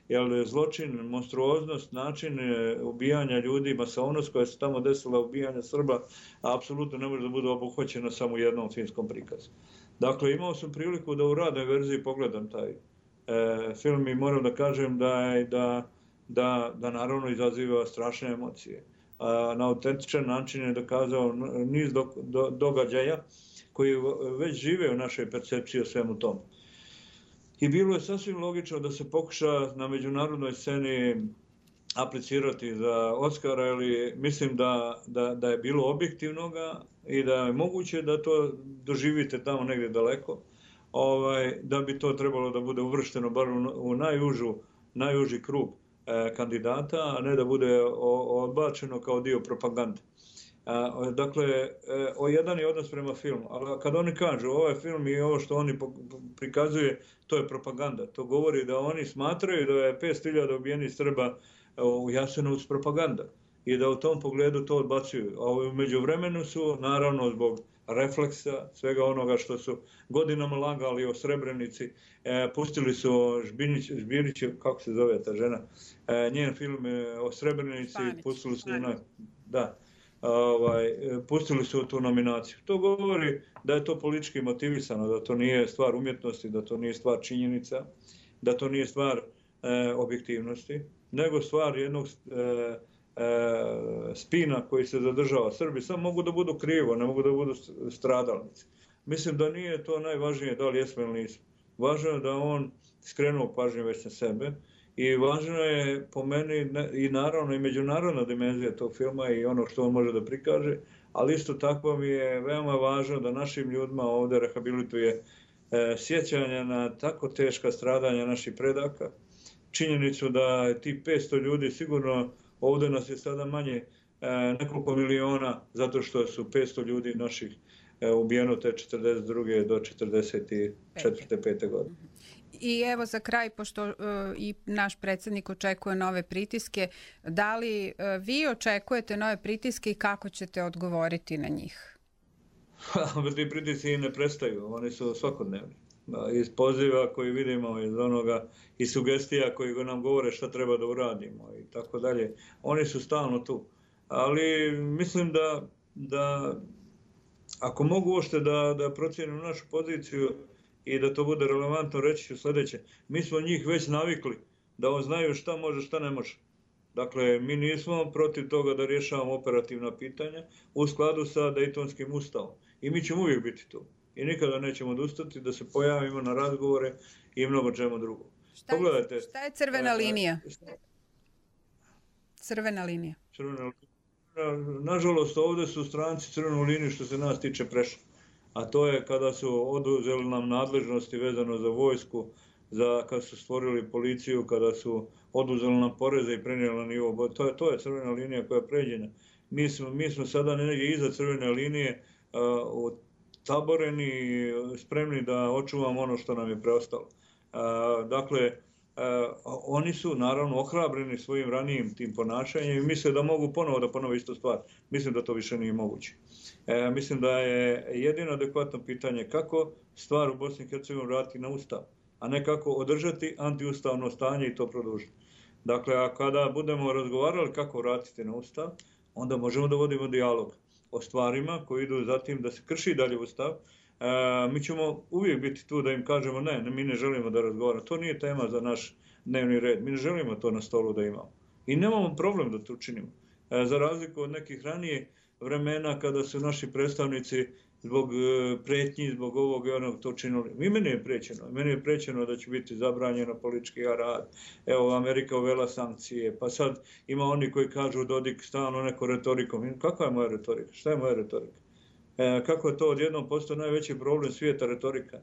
jer je zločin, monstruoznost, način ubijanja ljudi, masovnost koja se tamo desila, ubijanja Srba, apsolutno ne može da bude obuhvaćena samo u jednom filmskom prikazu. Dakle, imao sam priliku da u radnoj verziji pogledam taj film i moram da kažem da naravno izaziva strašne emocije. Na autentičan način je dokazao niz događaja koji već žive u našoj percepciji o svemu tomu. I bilo je sasvim logično da se pokuša na međunarodnoj sceni aplicirati za Oscara, ali mislim da je bilo objektivnoga i da je moguće da to doživite tamo negdje daleko, da bi to trebalo da bude uvršteno bar u najuži krug kandidata, a ne da bude odbačeno kao dio propagande. Dakle, jedan je odnos prema filmu, ali kad oni kažu ovaj film i ovo što oni prikazuje, to je propaganda. To govori da oni smatraju da je 500.000 ubijenih Srba u Jasenovcu propaganda i da u tom pogledu to odbacuju. A među vremenu su, naravno zbog refleksa, svega onoga što su godinama lagali o Srebrenici, pustili su Žbinić, kako se zove ta žena, njen film o Srebrenici, pustili su pustili su tu nominaciju. To govori da je to politički motivisano, da to nije stvar umjetnosti, da to nije stvar činjenica, da to nije stvar objektivnosti, nego stvar jednog spina koji se zadržava. Srbi samo mogu da budu krivo, ne mogu da budu stradalnici. Mislim da nije to najvažnije da li jesmo ili nismo. Važno je da on skrenuo pažnju već na sebe i važno je po meni i naravno i međunarodna dimenzija tog filma i ono što on može da prikaže, ali isto tako mi je veoma važno da našim ljudima ovdje rehabilituje sjećanja na tako teška stradanja naših predaka. Činjenicu da ti 500 ljudi sigurno, ovdje nas je sada manje nekoliko miliona, zato što su 500 ljudi naših ubijeno te 42. do 44. 5. godine. I evo za kraj, pošto i naš predsjednik očekuje nove pritiske, da li vi očekujete nove pritiske i kako ćete odgovoriti na njih? Ti pritisci ne prestaju, oni su svakodnevni. Iz poziva koji vidimo, iz onoga, i sugestija koji nam govore šta treba da uradimo i tako dalje. Oni su stalno tu. Ali mislim da ako mogu uopšte da procijenim našu poziciju i da to bude relevantno, reći ću sljedeće. Mi smo njih već navikli da on znaju šta može, šta ne može. Dakle, mi nismo protiv toga da rješavamo operativna pitanja u skladu sa Dejtonskim ustavom. I mi ćemo uvijek biti tu. I nikada nećemo odustati da se pojavimo na razgovore i mnogo čemu drugo. Pogledajte. Šta je crvena linija? Crvena linija. Nažalost, ovdje su stranci crvenu liniju što se nas tiče prešli. A to je kada su oduzeli nam nadležnosti vezano za vojsku, kada su stvorili policiju, kada su oduzeli nam poreze i prenijeli na nivo. To je crvena linija koja je pređena. Mi smo sada negdje iza crvene linije taboreni, spremni da očuvamo ono što nam je preostalo. Dakle, oni su naravno ohrabreni svojim ranijim tim ponašanjem i misle da mogu ponovo da ponove istu stvar. Mislim da to više nije moguće. Mislim da je jedino adekvatno pitanje kako stvar u Bosni i Hercegovini vratiti na ustav, a ne kako održati antiustavno stanje i to produžiti. Dakle, a kada budemo razgovarali kako vratiti na ustav, onda možemo da vodimo dijalog o stvarima koji idu za tim da se krši dalje ustav. Mi ćemo uvijek biti tu da im kažemo ne, mi ne želimo da razgovaramo. To nije tema za naš dnevni red. Mi ne želimo to na stolu da imamo. I nemamo problem da to učinimo. Za razliku od nekih ranije vremena kada su naši predstavnici zbog pretnji, zbog ovog i onog to činili. Meni je prećeno. Meni je prećeno da će biti zabranjeno politički rad. Evo, Amerika uvela sankcije. Pa sad ima oni koji kažu Dodik stalno neko retorikom. Kakva je moja retorika? Šta je moja retorika? Kako je to odjednom postao najveći problem svijeta retorika?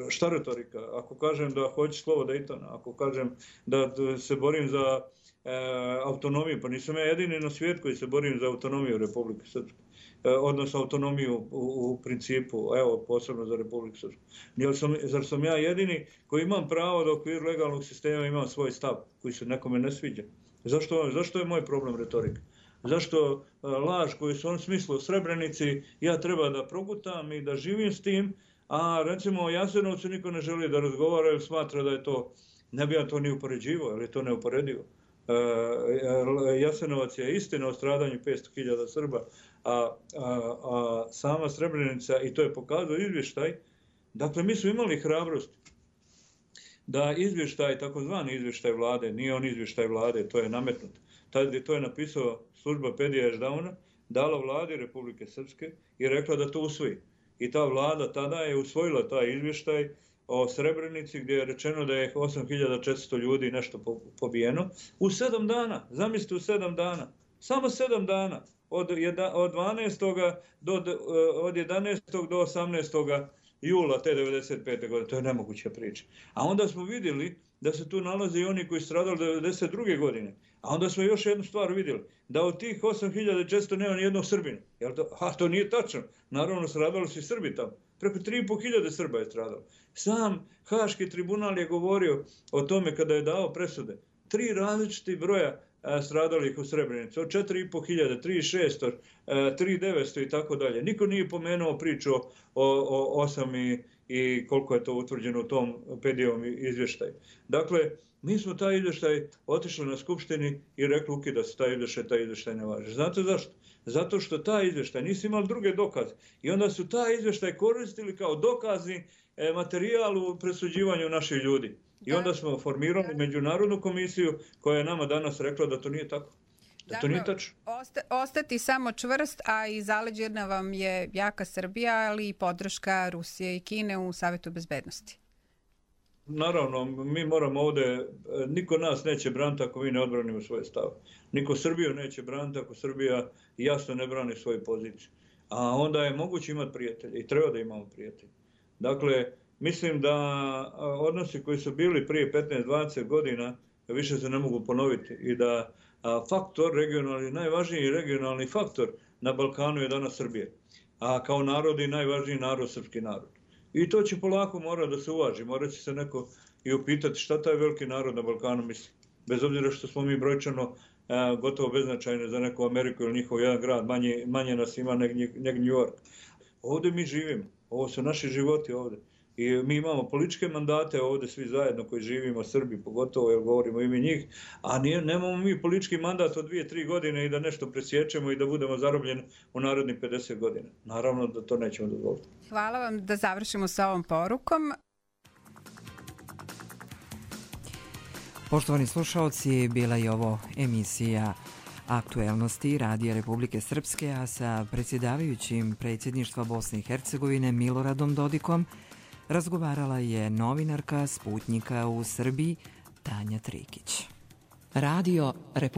Šta retorika? Ako kažem da hoću slovo Dejtona, ako kažem da se borim za autonomiju, pa nisam ja jedini na svijet koji se borim za autonomiju Republike Srpske, odnosno autonomiju u principu, evo, posebno za Republiku Srpsku. Zar sam ja jedini koji imam pravo da u okviru legalnog sistema imam svoj stav koji se nekome ne sviđa? Zašto je moj problem retorika? Zašto laž koju su on smislili u Srebrenici ja treba da progutam i da živim s tim, A recimo o Jasenovcu niko ne želi da razgovara jer smatra da je to, ne bi ja to ni upoređivao, jer je to neuporedivo. Jasenovac je istina o stradanju 500.000 Srba, a sama Srebrenica, i to je pokazao izvještaj, dakle mi smo imali hrabrost da izvještaj, takozvani izvještaj vlade, nije on izvještaj vlade, to je nametnut. To je napisao služba Pedija Ešdauna, dala vladi Republike Srpske i rekla da to usvoji. I ta vlada tada je usvojila taj izvještaj o Srebrenici gdje je rečeno da je 8.400 ljudi nešto pobijeno u 7 dana. Zamislite, u 7 dana. Samo 7 dana. Od 11. do 18. jula te 95. godine. To je nemoguća priča. A onda smo vidjeli da se tu nalaze i oni koji su stradali 92. godine. A onda smo još jednu stvar vidjeli. Da od tih 8.400 nema ni jednog Srbina. To nije tačno. Naravno, stradali su i Srbi tamo. Preko 3.500 Srba je stradalo. Sam Haški tribunal je govorio o tome kada je dao presude. 3 različiti broja stradalih u Srebrenici. Od 4.500, 3.600, 3.900 i tako dalje. Niko nije pomenuo priču o 8 i koliko je to utvrđeno u tom Pedijevom izvještaju. Dakle, mi smo taj izvještaj otišli na skupštini i rekli ukida se taj izvještaj ne važi. Znate zašto? Zato što taj izvještaj nisu imali druge dokaze. I onda su taj izvještaj koristili kao dokazni materijal u presuđivanju naših ljudi. I onda smo formirali međunarodnu komisiju koja je nama danas rekla da to nije tako. Da to nije tačno. Ostati samo čvrst, a i zaleđena vam je jaka Srbija, ali i podrška Rusije i Kine u Savetu bezbednosti. Naravno, mi moramo ovdje, niko nas neće braniti ako mi ne odbranimo svoje stave. Niko Srbiju neće braniti ako Srbija jasno ne brani svoju poziciju. A onda je moguće imati prijatelje i treba da imamo prijatelje. Dakle, mislim da odnosi koji su bili prije 15-20 godina više se ne mogu ponoviti i da faktor regionalni, najvažniji regionalni faktor na Balkanu je danas Srbija. A kao narod i najvažniji narod, srpski narod. I to će polako morati da se uvaži. Morat će se neko i upitati šta taj veliki narod na Balkanu misli. Bez obzira što smo mi brojčano gotovo beznačajni za neku Ameriku ili njihov jedan grad. Manje nas ima nego New York. Ovdje mi živimo. Ovo su naši životi ovdje. I mi imamo političke mandate ovdje svi zajedno koji živimo, Srbi pogotovo, jer govorimo ime njih, a nemamo mi politički mandat od 2-3 godine i da nešto presjećemo i da budemo zarobljeni u narednih 50 godina. Naravno da to nećemo dozvoliti. Hvala vam, da završimo sa ovom porukom. Poštovani slušalci, bila je ovo emisija Aktuelnosti Radija Republike Srpske, a sa predsjedavajućim predsjedništva Bosne i Hercegovine Miloradom Dodikom razgovarala je novinarka Sputnjika u Srbiji Tanja Trikić. Radio